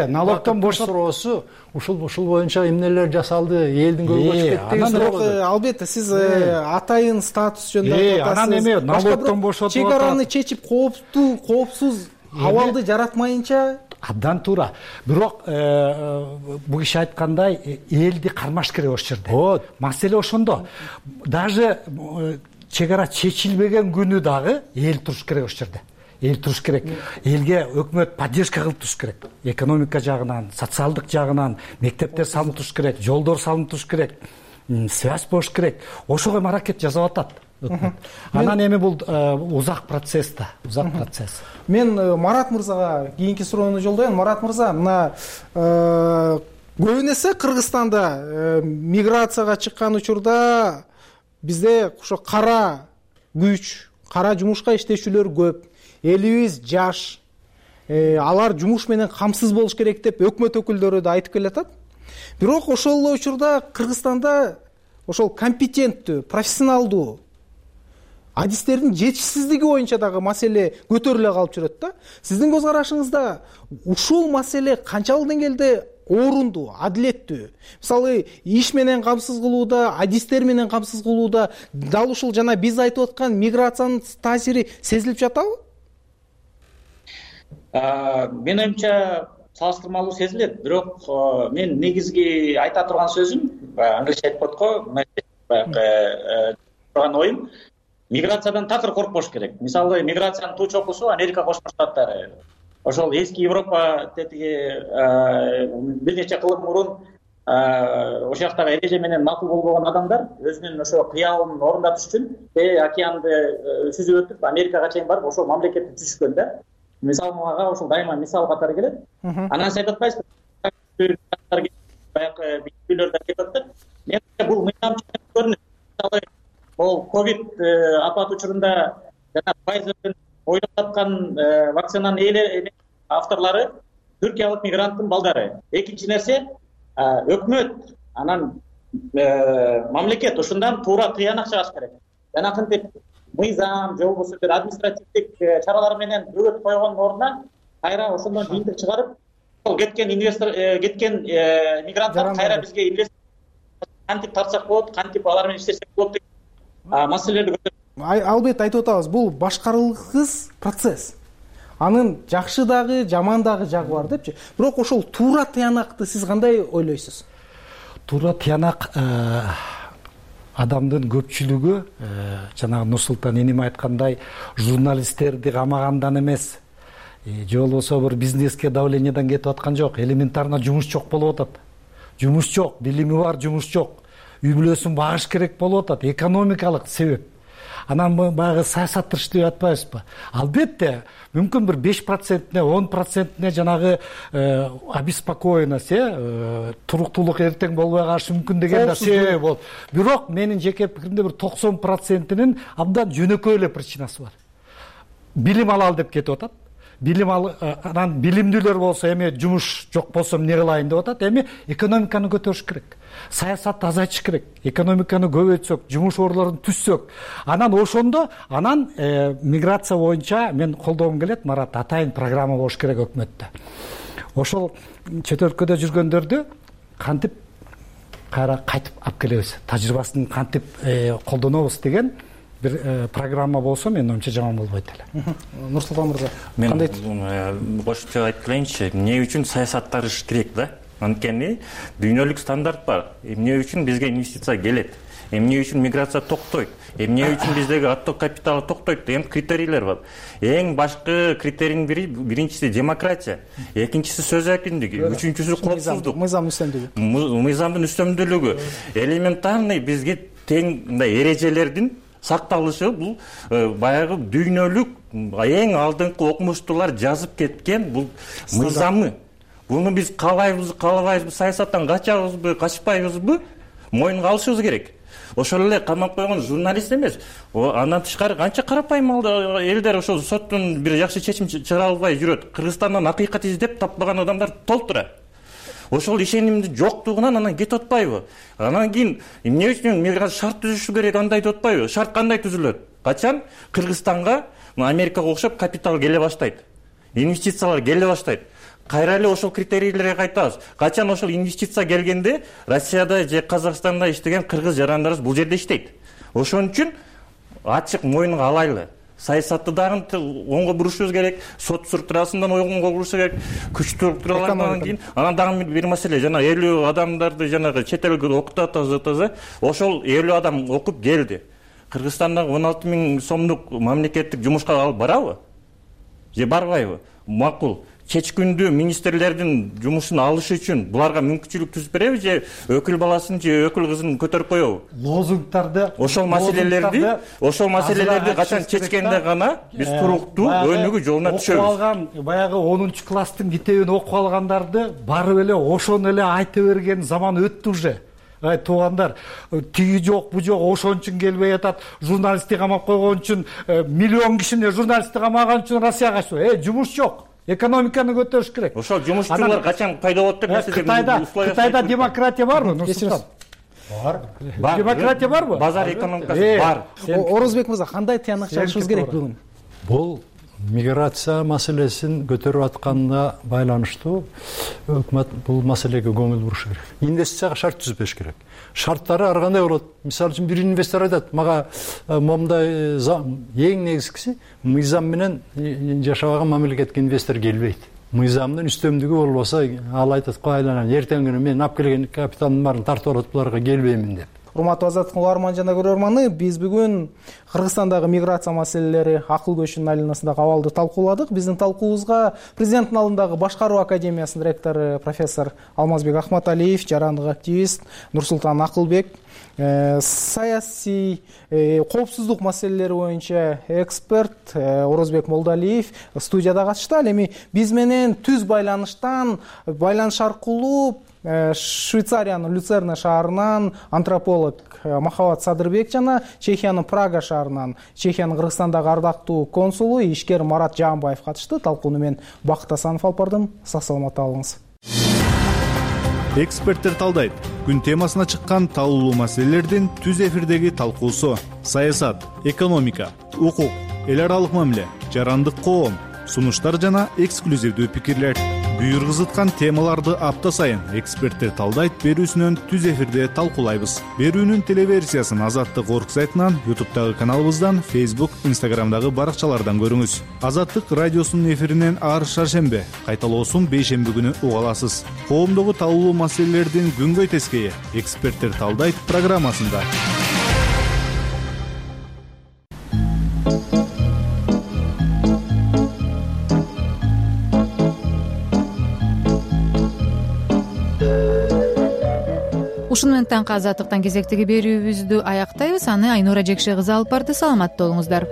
Налогтон бошотуусу ушул боюнча эмнелер жасалды, элдин көбү кетти. Албетте, сиз атайын статус жөнүндө айтып атасыз. Анан эме налогтон бошотуп чек араны чечип коопсуз абалды жаратмайынча абдан туура. Бирок бул киши айткандай элди кармаш керек ошол жерде. Маселе ошондо. Даже чек ара чечилбеген күнү дагы эл туруш керек ошол жерде. Эл туруш керек. Элге өкмөт поддержка кылып туруш керек. Экономика жагынан, социалдык жагынан мектептер салынып туруш керек, жолдор салынып туруш керек, связь болуш керек. Ошого аракет жасап атат. Анан эми бул узак процесс да, узак процесс. Мен Марат мырзага кийинки суроону жолдойм. Марат мырза, мына көбүн эсе Кыргызстанда миграцияга чыккан учурда бизде ошо кара күч, кара жумушка иштешүүлөр көп. Элибиз жаш. Алар жумуш менен камсыз болуш керек деп өкмөт өкүлдөрү да айтып келатат. Бирок ошол эле учурда Кыргызстанда ошол компетенттүү, профессионалдуу адистердин жетишсиздиги боюнча дагы маселе көтөрүлө калып жүрөт да. Сиздин көз карашыңызда ушул маселе канчалык деңгээлде орунду, адилеттүү? Мисалы, иш менен камсыз кылууда, адистер менен камсыз кылууда дал ушул жана биз айтып аткан миграциянын таасири сезилип жатабы? Менин оюмча салыштырмалуу сезилет, бирок мен негизги айта турган сөзүм, англисче айтып коет го, турган оюм, миграциядан такыр коркпош керек. Мисалы, миграциянын туу чокусу Америка Кошмо Штаттары. Ошол эски Европа тетиги бир нече кылым мурун ошол жактагы эреже менен макул болбогон адамдар өзүнүн ошо кыялын орундатыш үчүн океанды сүзүп өтүп Америкага чейин барып ошол мамлекетти түзүшкөн да. Мисалы мага ошол дайыма мисал катары келет. Анан сиз айтып атпайсызбы? Баягы бийлөрдө кетип атат. Мен бул мыйзамчылык көрүнөт. Мисалы, ол ковид апат учурунда жана Pfizer'дин ойлоп аткан вакцинанын авторлору түркиялык мигранттын балдары. Экинчи нерсе, өкмөт анан мамлекет ушундан туура тыянак чыгаш керек. Жанакынтип мыйзам же болбосо бир административдик чаралар менен бөгөт койгондун ордуна кайра ошондон жыйынтык чыгарып кеткен мигранттар кайра бизге инвестор кантип тартсак болот, кантип алар менен иштесек болот деген маселелерди көтөрүп. Албетте айтып атабыз, бул башкарылгыс процесс. Анын жакшы дагы, жаман дагы жагы бар депчи. Бирок ошол туура тыянакты сиз кандай ойлойсуз? Туура тыянак адамдын көпчүлүгү жанагы Нурсултан энем айткандай журналисттерди камагандан эмес, же болбосо бир бизнеске давлениядан кетип аткан жок, элементарно жумуш жок болуп атат. Жумуш жок, билими бар, жумуш жок. Үй бүлөсүн багыш керек болуп атат, экономикалык себеп. Анан баягы саясаттырыш деп атпайбызбы? Албетте, мүмкүн бир 5%-не, 10%-не жанагы обеспокоенность, туруктуулук эртең болбой калышы мүмкүн деген себеп болот. Бирок менин жеке пикиримде бир 90%-нин абдан жөнөкөй эле причинасы бар. Билим алалы деп кетип атат. Анан билимдүүлөр болсо эми жумуш жок болсо эмне кылайын деп атат. Эми экономиканы көтөрүш керек. Саясатты азайтыш керек. Экономиканы көбөйтсөк, жумуш орлорун түзсөк, анан ошондо миграция боюнча мен колдогум келет, Марат, атайын программа болуш керек өкмөттө. Ошол чет өлкөдө жүргөндөрдү кантип кайра кайтып алып келебиз, тажрыйбасын кантип колдонобуз деген бир программа болсо менин оюмча жаман болбойт эле. Нурсултан мырза, кандай? Мен кошумча айтып келейинчи, эмне үчүн саясаттарыш керек да? Анткени дүйнөлүк стандарт бар. Эмне үчүн бизге инвестиция келет? Эмне үчүн миграция токтойт? Эмне үчүн биздеги отток капиталы токтойт деген критерийлер бар. Эң башкы критерийдин бири биринчиси демократия, экинчиси сөз эркиндиги, үчүнчүсү коопсуздук. Мыйзам үстөмдүгү. Мыйзамдын үстөмдүүлүгү. Элементарный бизге тең мындай эрежелердин сакталышы бул баягы дүйнөлүк эң алдыңкы окумуштуулар жазып кеткен бул мыйзамы. Буну биз каалабайбызбы, саясаттан качабызбы, качпайбызбы, мойнуна алышыбыз керек. Ошол эле камап койгон журналист эмес, андан тышкары канча карапайым элдер ошол соттун бир жакшы чечим чыгара албай жүрөт. Кыргызстандан акыйкат издеп таппаган адамдар толтура. Ошол ишенимдин жоктугунан анан кетип атпайбы? Анан кийин эмне үчүн миграция шарт түзүшү керек, андай деп атпайбы? Шарт кандай түзүлөт? Качан Кыргызстанга Америкага окшоп капитал келе баштайт, инвестициялар келе баштайт. Кайра эле ошол критерийлерге кайтабыз. Качан ошол инвестиция келгенде Россияда же Казакстанда иштеген кыргыз жарандарыбыз бул жерде иштейт. Ошон үчүн ачык мойнуга алайлы. Саясатты дагы оңго бурушубуз керек, сот структурасынан оңго буруш керек, күч структураларынан кийин. Анан дагы бир маселе, жана 50 адамдарды жанагы чет элге окутуп атабыз. Ошол 50 адам окуп келди. Кыргызстандагы 16 000 сомдук мамлекеттик жумушка алып барабы? Же барбайбы? Макул. Кеч күндү министрлердин жумушун алыш үчүн буларга мүмкүнчүлүк түзүп береби же өкүл баласын же өкүл кызын көтөрүп коебу? Лозунгдарды, ошол маселелерди качан чечкенде гана биз туруктуу өнүгүү жолуна түшөбүз. Окуп алган баягы 10-класстын китебин окуп алгандарды барып эле ошону эле айта берген заман өттү уже. Туугандар, тиги жок, бу жок, ошон үчүн келбей атат, журналистти камап койгон үчүн, миллион кишини журналистти камаган үчүн Россияга качты. Жумуш жок. Экономиканы көтөрүш керек. Ошол жумушчулар качан пайда болот деп Кытайда демократия барбы, Нурсултан? Бар. Демократия барбы? Базар экономикасы бар. Орозбек мырза, кандай тыянак чыгарышыбыз керек бүгүн? Бул миграция маселесин көтөрүп атканына байланыштуу өкмөт бул маселеге көңүл бурушу керек. Инвестицияга шарт түзүп бериш керек. Шарттары ар кандай болот? Мисалы үчүн бир инвестор айтат, мага момундай эң негизгиси мыйзам менен жашабаган мамлекетке инвестор келбейт. Мыйзамдын үстөмдүгү болбосо ал айтат, айланан эртең күнү мен алып келген капиталдын баарын тартып алат, буларга келбеймин деп. Урматтуу азаттык угарман жана көрөрманы, биз бүгүн Кыргызстандагы миграция маселелери акыл көчүнүн айланасындагы абалды талкууладык. Биздин талкуубузга президенттин алдындагы башкаруу академиясынын ректору профессор Алмазбек Ахматалиев, жарандык активист Нурсултан Акылбек, саясий коопсуздук маселелери боюнча эксперт Орозбек Молдалиев студияда катышты. Ал эми биз менен түз байланыш аркылуу Швейцариянын Люцерна шаарынан антрополог Махабат Садырбек жана Чехиянын Прага шаарынан Чехиянын Кыргызстандагы ардактуу консулу ишкер Марат Жаанбаев катышты. Талкууну мен Бакыт Асанов алып бардым. Сак саламатта болуңуз. эксперттер талдайт. Күн темасына чыккан талуулуу маселелердин түз эфирдеги талкуусу: саясат, экономика, укук, эл аралык мамиле, жарандык коом, сунуштар жана эксклюзивдүү пикирлер. Буйргузуткан темаларды апта сайын эксперттер талдайт берүүсүнөн түз эфирде талкуулайбыз. Берүүнүн телеверсиясын Азаттык орг сайтынан, YouTube'дагы каналыбыздан, Facebook, Instagram'дагы баракчалардан көрүңүз. Азаттык радиосунун эфиринен ар шаршембе, кайталоосун бейшемби күнү уга аласыз. Коомдогу талуулуу маселелердин күнгөй тескейи эксперттер талдайт программасында. Ушуну менен таңкы Азаттыктан кезектеги берүүбүздү аяктайбыз. Аны Айнура Жекше кызы алып барды. Саламатта болуңуздар.